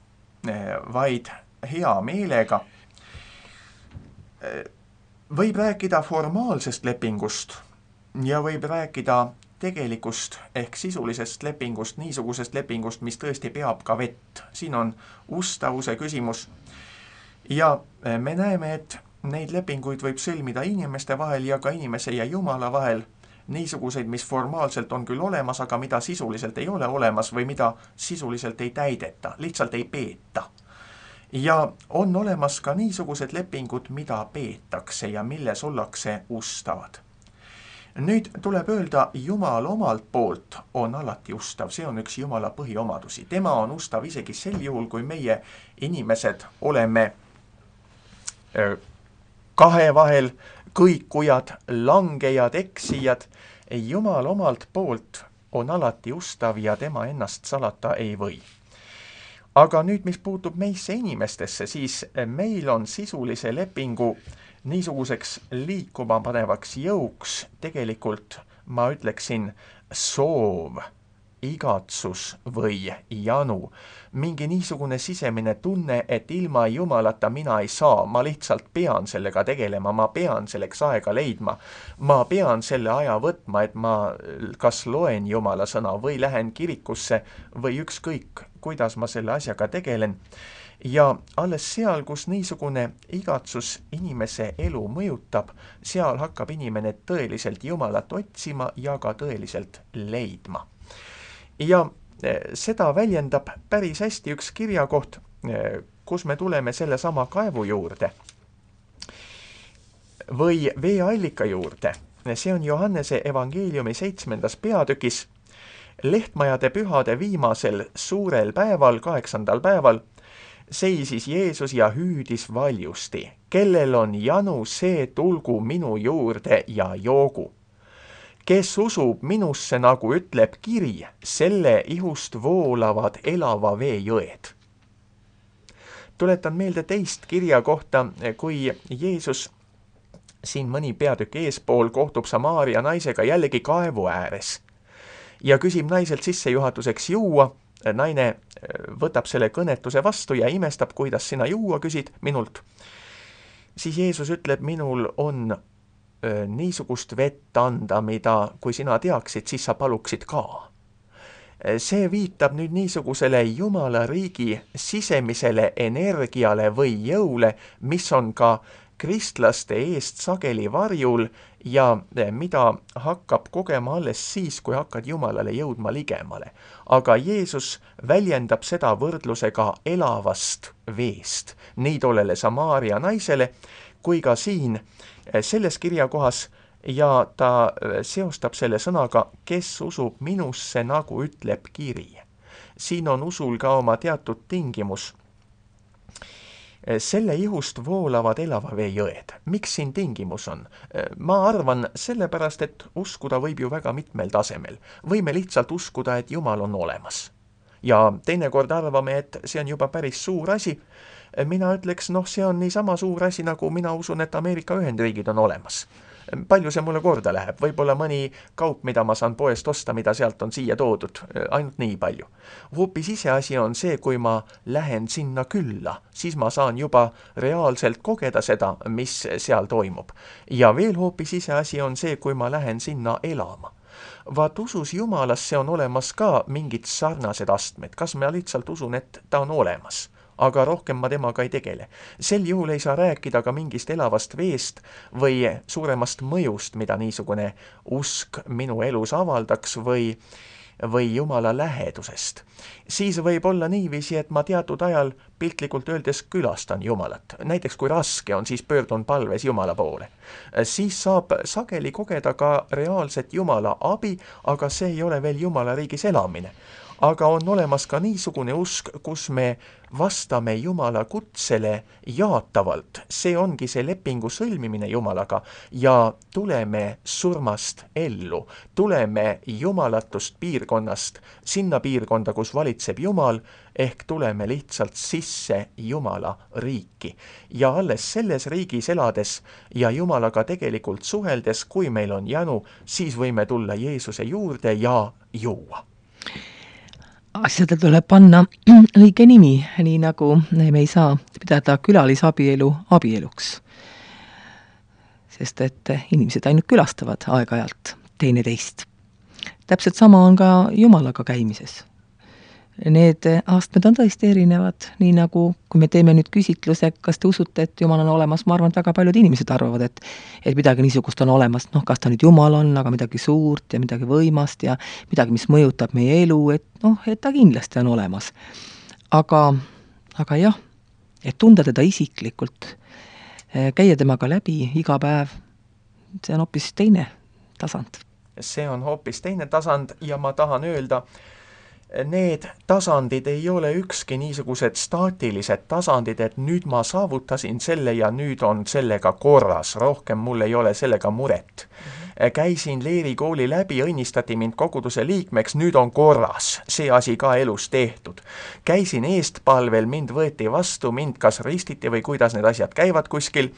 Speaker 2: vaid hea meelega. Võib rääkida formaalsest lepingust ja võib rääkida tegelikust ehk sisulisest lepingust, niisugusest lepingust, mis tõesti peab ka vett. Siin on ustavuse küsimus. Ja me näeme, et neid lepinguid võib sõlmida inimeste vahel ja ka inimese ja Jumala vahel. Niisuguseid, mis formaalselt on küll olemas, aga mida sisuliselt ei ole olemas või mida sisuliselt ei täideta, lihtsalt ei peeta. Ja on olemas ka niisugused lepingud, mida peetakse ja milles ollakse ustavad. Nüüd tuleb öelda, Jumal omalt poolt on alati ustav. See on üks Jumala põhiomadusi. Tema on ustav isegi sel juhul, kui meie inimesed oleme kahe vahel, kõikujad, langejad, eksijad. Jumal omalt poolt on alati ustav ja tema ennast salata ei või. Aga nüüd, mis puutub meisse inimestesse, siis meil on sisulise lepingu niisuguseks liikuma panevaks jõuks tegelikult, ma ütleksin, soov, igatsus või janu. Mingi niisugune sisemine tunne, et ilma Jumalata mina ei saa, ma lihtsalt pean sellega tegelema, ma pean selleks aega leidma, ma pean selle aja võtma, et ma kas loen Jumala sõna või lähen kirikusse või ükskõik, kuidas ma selle asjaga tegelen. Ja alles seal, kus niisugune igatsus inimese elu mõjutab, seal hakkab inimene tõeliselt Jumalat otsima ja ka tõeliselt leidma. Ja seda väljendab päris hästi üks kirjakoht, kus me tuleme selle sama kaevu juurde või veeallika juurde. See on Johannese evangeeliumi 7. peatükis. Lehtmajade pühade viimasel suurel päeval, 8. päeval, seisis Jeesus ja hüüdis valjusti. Kellel on janu, see tulgu minu juurde ja joogu. Kes usub minusse, nagu ütleb kiri, selle ihust voolavad elava vee jõed. Tuletan meelde teist kirja kohta, kui Jeesus siin mõni peatükk eespool kohtub Samaaria naisega jällegi kaevu ääres ja küsib naiselt sissejuhatuseks juua. Naine võtab selle kõnetuse vastu ja imestab, kuidas sina juua küsid minult. Siis Jeesus ütleb, minul on niisugust vett anda, mida kui sina teaksid, siis sa paluksid ka. See viitab nüüd niisugusele Jumala riigi sisemisele energiale või jõule, mis on ka kristlaste eest sageli varjul ja mida hakkab kogema alles siis, kui hakkad Jumalale jõudma ligemale. Aga Jeesus väljendab seda võrdlusega elavast veest, nii tollele Samaaria naisele, kui ka siin selles kirjakohas ja ta seostab selle sõnaga, kes usub minusse, nagu ütleb kiri. Siin on usul ka oma teatud tingimus. Selle ihust voolavad elava vee jõed. Miks siin tingimus on? Ma arvan sellepärast, et uskuda võib ju väga mitmel tasemel. Võime lihtsalt uskuda, et Jumal on olemas. Ja teinekord arvame, et see on juba päris suur asi. Mina ütleks, see on nii sama suur asi, nagu mina usun, et Ameerika Ühendriigid on olemas. Palju see mulle korda läheb? Võib-olla mõni kaup, mida ma saan poest osta, mida sealt on siia toodud, ainult nii palju. Hoopis iseasi on see, kui ma lähen sinna külla, siis ma saan juba reaalselt kogeda seda, mis seal toimub. Ja veel hoopis iseasi on see, kui ma lähen sinna elama. Vaat usus Jumalasse on olemas ka mingid sarnased astmed. Kas ma lihtsalt usun, et ta on olemas? aga rohkem ma temaga ei tegele. Sel juhul ei saa rääkida ka mingist elavast veest või suuremast mõjust, mida niisugune usk minu elus avaldaks või Jumala lähedusest. Siis võib olla niiviisi, et ma teatud ajal piltlikult öeldes külastan Jumalat. Näiteks kui raske on, siis pöördun palves Jumala poole. Siis saab sageli kogeda ka reaalset Jumala abi, aga see ei ole veel Jumala riigis elamine. Aga on olemas ka niisugune usk, kus me vastame Jumala kutsele jaatavalt. See ongi see lepingu sõlmimine Jumalaga ja tuleme surmast ellu. Tuleme jumalatust piirkonnast sinna piirkonda, kus valitseb Jumal, ehk tuleme lihtsalt sisse Jumala riiki. Ja alles selles riigis elades ja Jumalaga tegelikult suheldes, kui meil on janu, siis võime tulla Jeesuse juurde ja juua.
Speaker 1: Asjadel tuleb panna õige nimi, nii nagu me ei saa pidada külalisabielu abieluks. Sest et inimesed ainult külastavad aeg-ajalt teineteist. Täpselt sama on ka Jumalaga käimises. Need astmed on tõesti erinevad, nii nagu kui me teeme nüüd küsitluse, kas te usute, et Jumal on olemas, ma arvan, et väga paljud inimesed arvavad, et midagi niisugust on olemas, kas ta nüüd Jumal on, aga midagi suurt ja midagi võimast ja midagi, mis mõjutab meie elu, et ta kindlasti on olemas. Aga jah, et tunda teda isiklikult, käia temaga läbi iga päev, see on hoopis teine tasand.
Speaker 2: See on hoopis teine tasand ja ma tahan öelda, need tasandid ei ole ükski niisugused staatilised tasandid, et nüüd ma saavutasin selle ja nüüd on sellega korras, rohkem mul ei ole sellega muret. Käisin leerikooli läbi, õnnistati mind koguduse liikmeks, nüüd on korras, see asi ka elus tehtud. Käisin eestpalvel, mind võeti vastu, mind kas ristiti või kuidas need asjad käivad kuskil,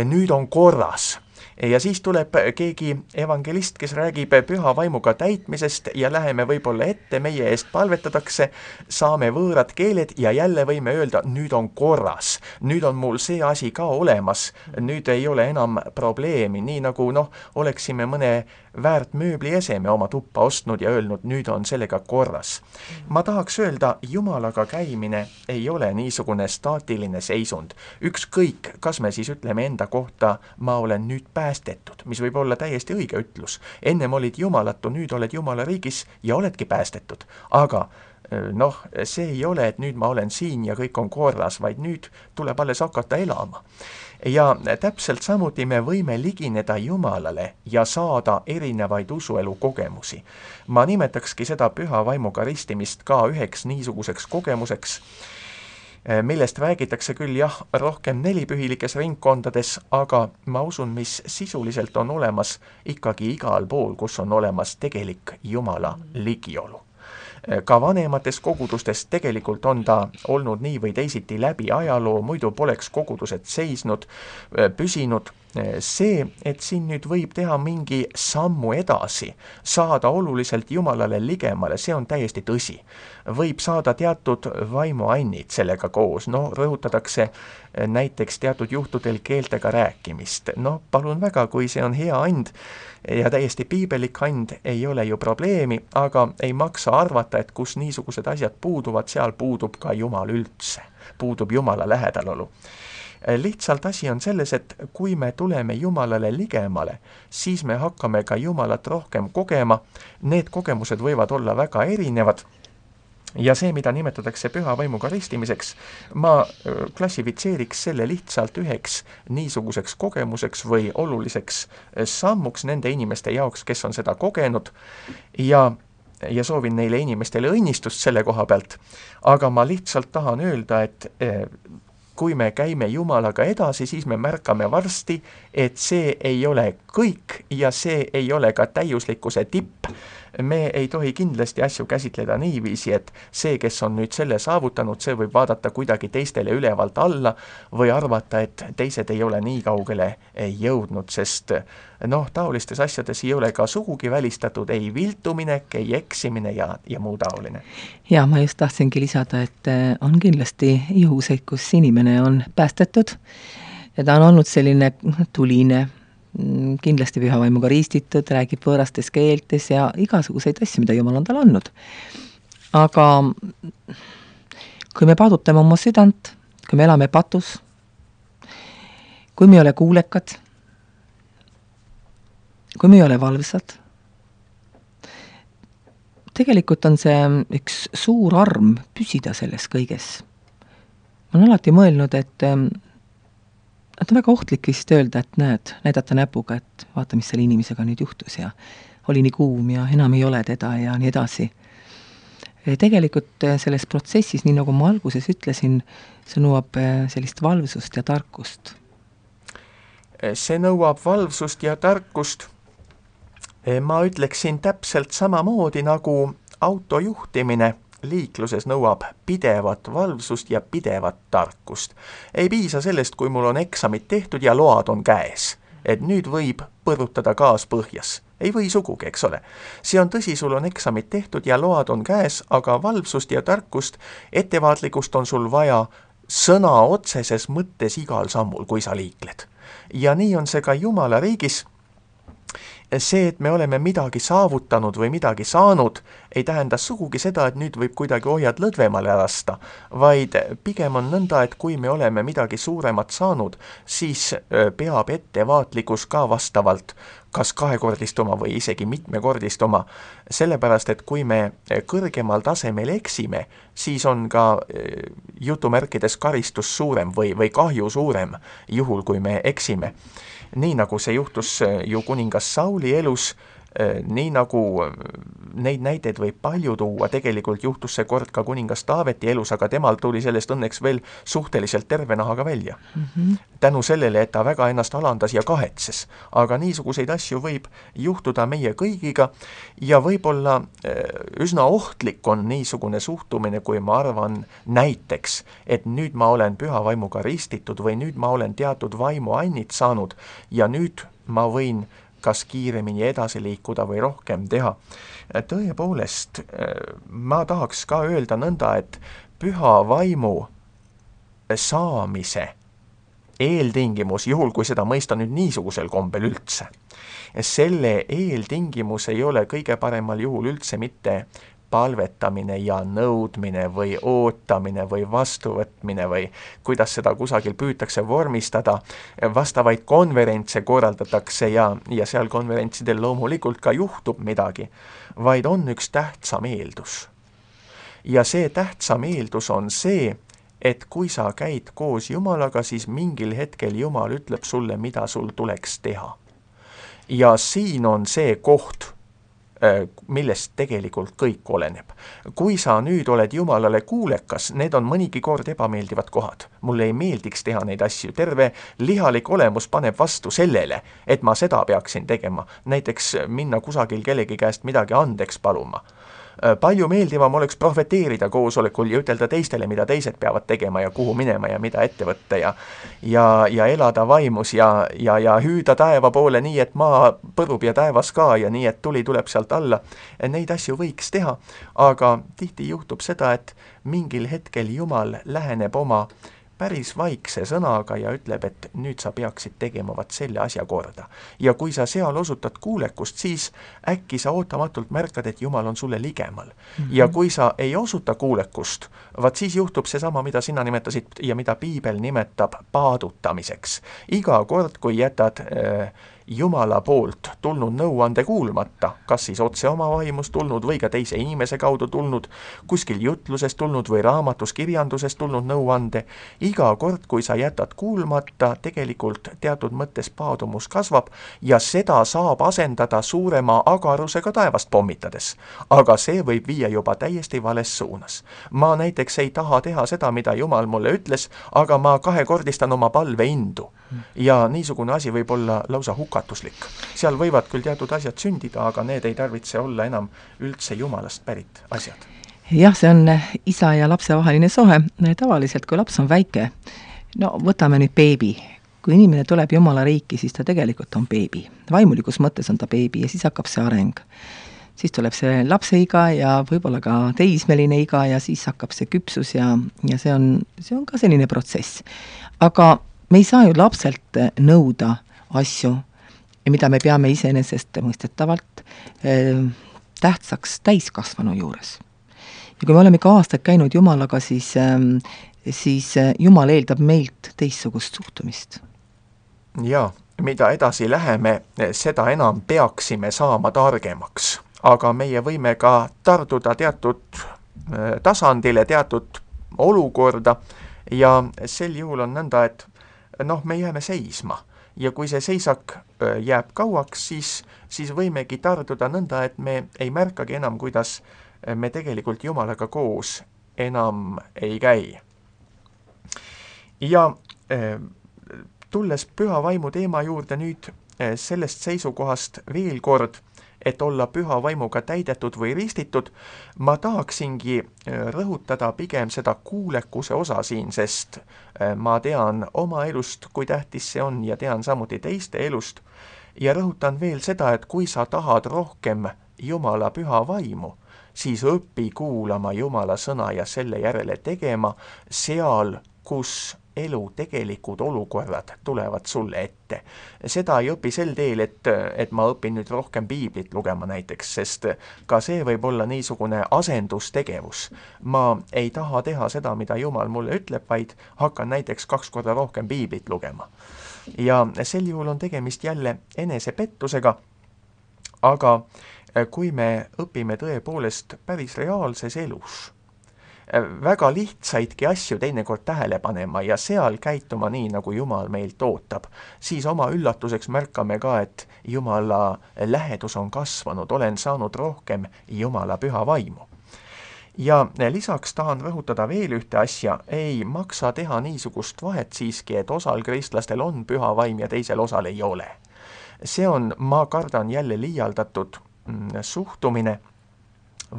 Speaker 2: nüüd on korras. Ja siis tuleb keegi evangelist, kes räägib püha vaimuga täitmisest ja läheme võib-olla ette, meie eest palvetatakse, saame võõrad keeled ja jälle võime öelda, nüüd on korras. Nüüd on mul see asi ka olemas, nüüd ei ole enam probleemi, nii nagu oleksime mõne väärt mööblieseme oma tuppa ostnud ja öelnud, nüüd on sellega korras. Ma tahaks öelda, Jumalaga käimine ei ole niisugune staatiline seisund. Ükskõik, kas me siis ütleme enda kohta, ma olen nüüd päästetud, mis võib olla täiesti õige ütlus. Ennem olid jumalatu, nüüd oled Jumala riigis ja oledki päästetud. Aga see ei ole, et nüüd ma olen siin ja kõik on korras, vaid nüüd tuleb alles hakata elama. Ja täpselt samuti me võime ligineda Jumalale ja saada erinevaid usuelu kogemusi. Ma nimetakski seda püha vaimuga ristimist ka üheks niisuguseks kogemuseks, millest räägitakse küll rohkem nelipühilikes ringkondades, aga ma usun, mis sisuliselt on olemas ikkagi igal pool, kus on olemas tegelik Jumala ligiolu. Ka vanemates kogudustes tegelikult on ta olnud nii või teisiti läbi ajaloo, muidu poleks kogudused seisnud, püsinud. See, et siin nüüd võib teha mingi sammu edasi, saada oluliselt Jumalale ligemale, see on täiesti tõsi. Võib saada teatud vaimuannid sellega koos, rõhutatakse näiteks teatud juhtudel keeltega rääkimist. Palun väga, kui see on hea and ja täiesti piibelik and, ei ole ju probleemi, aga ei maksa arvata, et kus niisugused asjad puuduvad, seal puudub ka Jumal üldse, puudub Jumala lähedalolu. Lihtsalt asi on selles, et kui me tuleme Jumalale ligemale, siis me hakkame ka Jumalat rohkem kogema. Need kogemused võivad olla väga erinevad ja see, mida nimetatakse püha vaimuga ristimiseks, ma klassifitseeriks selle lihtsalt üheks niisuguseks kogemuseks või oluliseks sammuks nende inimeste jaoks, kes on seda kogenud ja soovin neile inimestele õnnistust selle koha pealt, aga ma lihtsalt tahan öelda, et kui me käime Jumalaga edasi, siis me märkame varsti, et see ei ole kõik ja see ei ole ka täiuslikkuse tipp. Me ei tohi kindlasti asju käsitleda niiviisi, et see, kes on nüüd selle saavutanud, see võib vaadata kuidagi teistele ülevalt alla või arvata, et teised ei ole nii kaugele jõudnud, sest taolistes asjades ei ole ka sugugi välistatud ei viltuminek, ei eksimine ja muu taoline.
Speaker 1: Ja ma just tahtsingi lisada, et on kindlasti juhuseid, kus inimene on päästetud ja ta on olnud selline tuline, kindlasti püha vaimuga ristitud, räägib võõrastes keeltes ja igasuguseid asju, mida Jumal on tal andnud. Aga kui me paadutame oma südant, kui me elame patus, kui me ei ole kuulekad, kui me ei ole valvsad, tegelikult on see üks suur arm püsida selles kõiges. Ma olen alati mõelnud, et on väga ohtlik vist öelda, et näidata näpuga, et vaata, mis selle inimesega nüüd juhtus ja oli nii kuum ja enam ei ole teda ja nii edasi. Tegelikult selles protsessis, nii nagu ma alguses ütlesin, see nõuab sellist valvsust ja tarkust.
Speaker 2: See nõuab valvsust ja tarkust. Ma ütleksin täpselt samamoodi nagu auto juhtimine liikluses nõuab pidevat valvsust ja pidevat tarkust. Ei piisa sellest, kui mul on eksamid tehtud ja load on käes, et nüüd võib põrutada gaas põhjas. Ei või sugugi, eks ole. See on tõsi, sul on eksamid tehtud ja load on käes, aga valvsust ja tarkust, ettevaatlikust on sul vaja sõna otseses mõttes igal sammul, kui sa liikled. Ja nii on see ka Jumala riigis. See, et me oleme midagi saavutanud või midagi saanud, ei tähenda sugugi seda, et nüüd võib kuidagi ohjad lõdvemale lasta, vaid pigem on nõnda, et kui me oleme midagi suuremat saanud, siis peab ettevaatlikkus ka vastavalt kas kahekordistuma või isegi mitmekordistuma, sellepärast, et kui me kõrgemal tasemel eksime, siis on ka jutumärkides karistus suurem või kahju suurem juhul, kui me eksime. Nii nagu see juhtus ju kuningas Sauli elus, nii nagu neid näiteid võib palju tuua, tegelikult juhtus see kord ka kuningas Taaveti elus, aga temal tuli sellest õnneks veel suhteliselt terve nahaga välja. Tänu sellele, et ta väga ennast alandas ja kahetses. Aga niisuguseid asju võib juhtuda meie kõigiga ja võib-olla üsna ohtlik on niisugune suhtumine, kui ma arvan näiteks, et nüüd ma olen püha vaimuga ristitud või nüüd ma olen teatud vaimu annit saanud ja nüüd ma võin kas kiiremini edasi liikuda või rohkem teha. Tõepoolest, ma tahaks ka öelda nõnda, et püha vaimu saamise eeltingimus, juhul kui seda mõista nüüd niisugusel kombel üldse, selle eeltingimus ei ole kõige paremal juhul üldse mitte palvetamine ja nõudmine või ootamine või vastuvõtmine või kuidas seda kusagil püütakse vormistada. Vastavaid konverentse korraldatakse ja seal konverentsidel loomulikult ka juhtub midagi, vaid on üks tähtsam eeldus. Ja see tähtsam eeldus on see, et kui sa käid koos Jumalaga, siis mingil hetkel Jumal ütleb sulle, mida sul tuleks teha. Ja siin on see koht, millest tegelikult kõik oleneb. Kui sa nüüd oled Jumalale kuulekas, need on mõnigi kord ebameeldivad kohad. Mulle ei meeldiks teha neid asju. Terve lihalik olemus paneb vastu sellele, et ma seda peaksin tegema. Näiteks minna kusagil kellegi käest midagi andeks paluma. Palju meeldivam oleks profeteerida koosolekul ja ütelda teistele, mida teised peavad tegema ja kuhu minema ja mida ette võtta ja elada vaimus ja hüüda taeva poole nii, et maa põrub ja taevas ka ja nii, et tuli tuleb sealt alla. Neid asju võiks teha, aga tihti juhtub seda, et mingil hetkel Jumal läheneb oma päris vaikse sõnaga ja ütleb, et nüüd sa peaksid tegema vaat selle asja korda. Ja kui sa seal osutad kuulekust, siis äkki sa ootamatult märkad, et Jumal on sulle ligemal. Ja kui sa ei osuta kuulekust, vaat siis juhtub seesama, mida sina nimetasid ja mida Piibel nimetab paadutamiseks. Iga kord, kui jätad Jumala poolt tulnud nõuande kuulmata, kas siis otse oma vaimust tulnud või ka teise inimese kaudu tulnud, kuskil jutlusest tulnud või raamatus kirjandusest tulnud nõuande, iga kord, kui sa jätad kuulmata, tegelikult teatud mõttes paadumus kasvab ja seda saab asendada suurema agarusega taevast pommitades. Aga see võib viia juba täiesti vales suunas. Ma näiteks ei taha teha seda, mida Jumal mulle ütles, aga ma kahekordistan oma palve indu. Ja niisugune asi võib olla lausa hukatuslik. Seal võivad küll teatud asjad sündida, aga need ei tarvitse olla enam üldse Jumalast pärit asjad.
Speaker 1: Jah, see on isa ja lapse vaheline sohe. Tavaliselt, kui laps on väike, no võtame nüüd beebi. Kui inimene tuleb Jumala riiki, siis ta tegelikult on beebi. Vaimulikus mõttes on ta beebi ja siis hakkab see areng. Siis tuleb see lapse iga ja võib-olla ka teismeline iga ja siis hakkab see küpsus ja see on ka selline protsess. Aga me ei saa ju lapselt nõuda asju, mida me peame iseenesest mõistetavalt tähtsaks täiskasvanu juures. ja kui me oleme ikka aastaid käinud Jumalaga, siis Jumal eeldab meilt teistsugust suhtumist.
Speaker 2: Ja mida edasi läheme, seda enam peaksime saama targemaks. Aga meie võime ka tarduda teatud tasandile, teatud olukorda ja sel juhul on nõnda, et me jääme seisma. Ja kui see seisak jääb kauaks, siis võimegi tarduda nõnda, et me ei märkagi enam, kuidas me tegelikult Jumalaga koos enam ei käi. Ja tulles püha vaimu teema juurde nüüd sellest seisukohast veel kord, et olla püha vaimuga täidetud või ristitud, ma tahaksingi rõhutada pigem seda kuulekuse osa siin, sest ma tean oma elust, kui tähtis see on ja tean samuti teiste elust. Ja rõhutan veel seda, et kui sa tahad rohkem Jumala püha vaimu, siis õpi kuulama Jumala sõna ja selle järele tegema seal, kus elu tegelikud olukorrad tulevad sulle ette. Seda ei õpi sel teel, et ma õpin nüüd rohkem piiblit lugema näiteks, sest ka see võib olla niisugune asendustegevus. Ma ei taha teha seda, mida Jumal mulle ütleb, vaid hakkan näiteks 2 korda rohkem piiblit lugema. Ja sel juhul on tegemist jälle enesepettusega, aga kui me õpime tõepoolest päris reaalses elus, väga lihtsaidki asju teinekord tähele panema ja seal käituma nii, nagu Jumal meilt ootab, siis oma üllatuseks märkame ka, et Jumala lähedus on kasvanud, olen saanud rohkem Jumala püha vaimu. Ja lisaks tahan rõhutada veel ühte asja, ei maksa teha niisugust vahet siiski, et osal kristlastel on püha vaim ja teisel osal ei ole. See on, ma kardan, jälle liialdatud suhtumine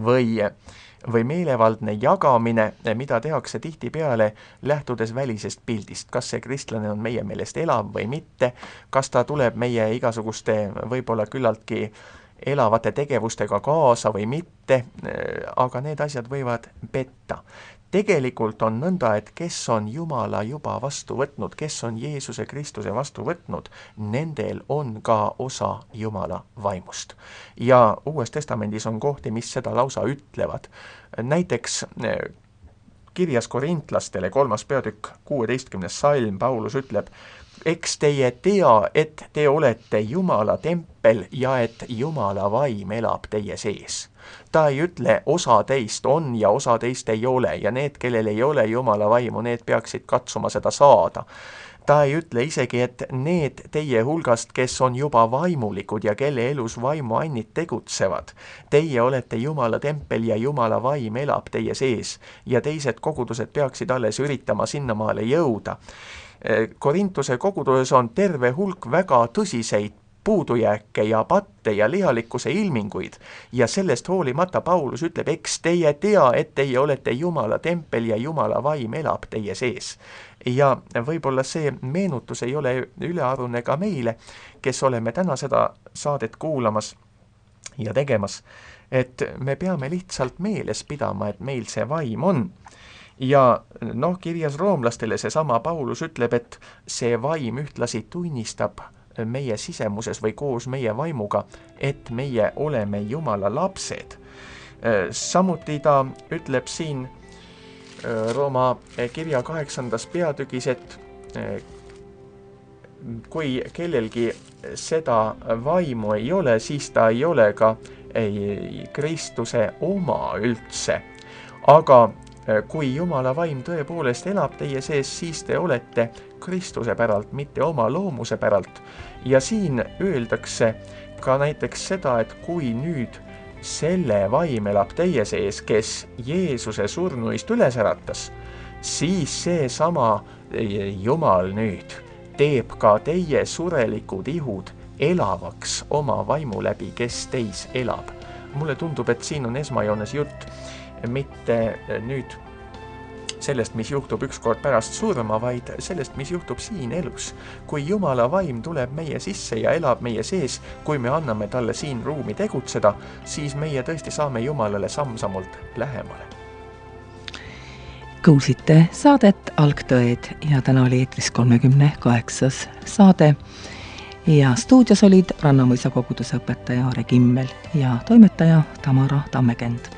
Speaker 2: või meelevaldne jagamine, mida tehakse tihtipeale lähtudes välisest pildist. Kas see kristlane on meie meelest elav või mitte, kas ta tuleb meie igasuguste võib-olla küllaltki elavate tegevustega kaasa või mitte, aga need asjad võivad petta. Tegelikult on nõnda, et kes on Jumala juba vastu võtnud, kes on Jeesuse Kristuse vastu võtnud, nendel on ka osa Jumala vaimust. Ja Uues Testamendis on kohti, mis seda lausa ütlevad. Näiteks kirjas korintlastele 3. peatükk 16. salm Paulus ütleb, eks teie tea, et te olete Jumala tempel ja et Jumala vaim elab teie sees. Ta ei ütle, osa teist on ja osa teist ei ole ja need, kellel ei ole Jumala vaimu, need peaksid katsuma seda saada. Ta ei ütle isegi, et need teie hulgast, kes on juba vaimulikud ja kelle elus vaimuannid tegutsevad, teie olete Jumala tempel ja Jumala vaim elab teie sees ja teised kogudused peaksid alles üritama sinnamaale jõuda. Korintuse koguduses on terve hulk väga tõsiseid puudujääke ja patte ja lihalikkuse ilminguid ja sellest hoolimata Paulus ütleb, eks teie tea, et teie olete Jumala tempel ja Jumala vaim elab teie sees. Ja võib-olla see meenutus ei ole ülearune ka meile, kes oleme täna seda saadet kuulamas ja tegemas, et me peame lihtsalt meeles pidama, et meil see vaim on. Ja kirjas roomlastele seesama Paulus ütleb, et see vaim ühtlasi tunnistab meie sisemuses või koos meie vaimuga, et meie oleme Jumala lapsed. Samuti ta ütleb siin Rooma kirja 8. peatükis, et kui kellelgi seda vaimu ei ole, siis ta ei ole ka Kristuse oma üldse. Aga kui Jumala vaim tõepoolest elab teie sees, siis te olete Kristuse päralt, mitte oma loomuse päralt. Ja siin öeldakse ka näiteks seda, et kui nüüd selle vaim elab teie sees, kes Jeesuse surnuist üles äratas, siis seesama Jumal nüüd teeb ka teie surelikud ihud elavaks oma vaimu läbi, kes teis elab. Mulle tundub, et siin on esmajoones jutt mitte nüüd sellest, mis juhtub ükskord pärast surma, vaid sellest, mis juhtub siin elus. Kui Jumala vaim tuleb meie sisse ja elab meie sees, kui me anname talle siin ruumi tegutseda, siis meie tõesti saame Jumalale samm-sammult lähemale.
Speaker 1: Kuulsite saadet Algtõed ja täna oli eetris 38. saade ja stuudios olid Rannamõisa koguduse õpetaja Aare Kimmel ja toimetaja Tamara Tammekend.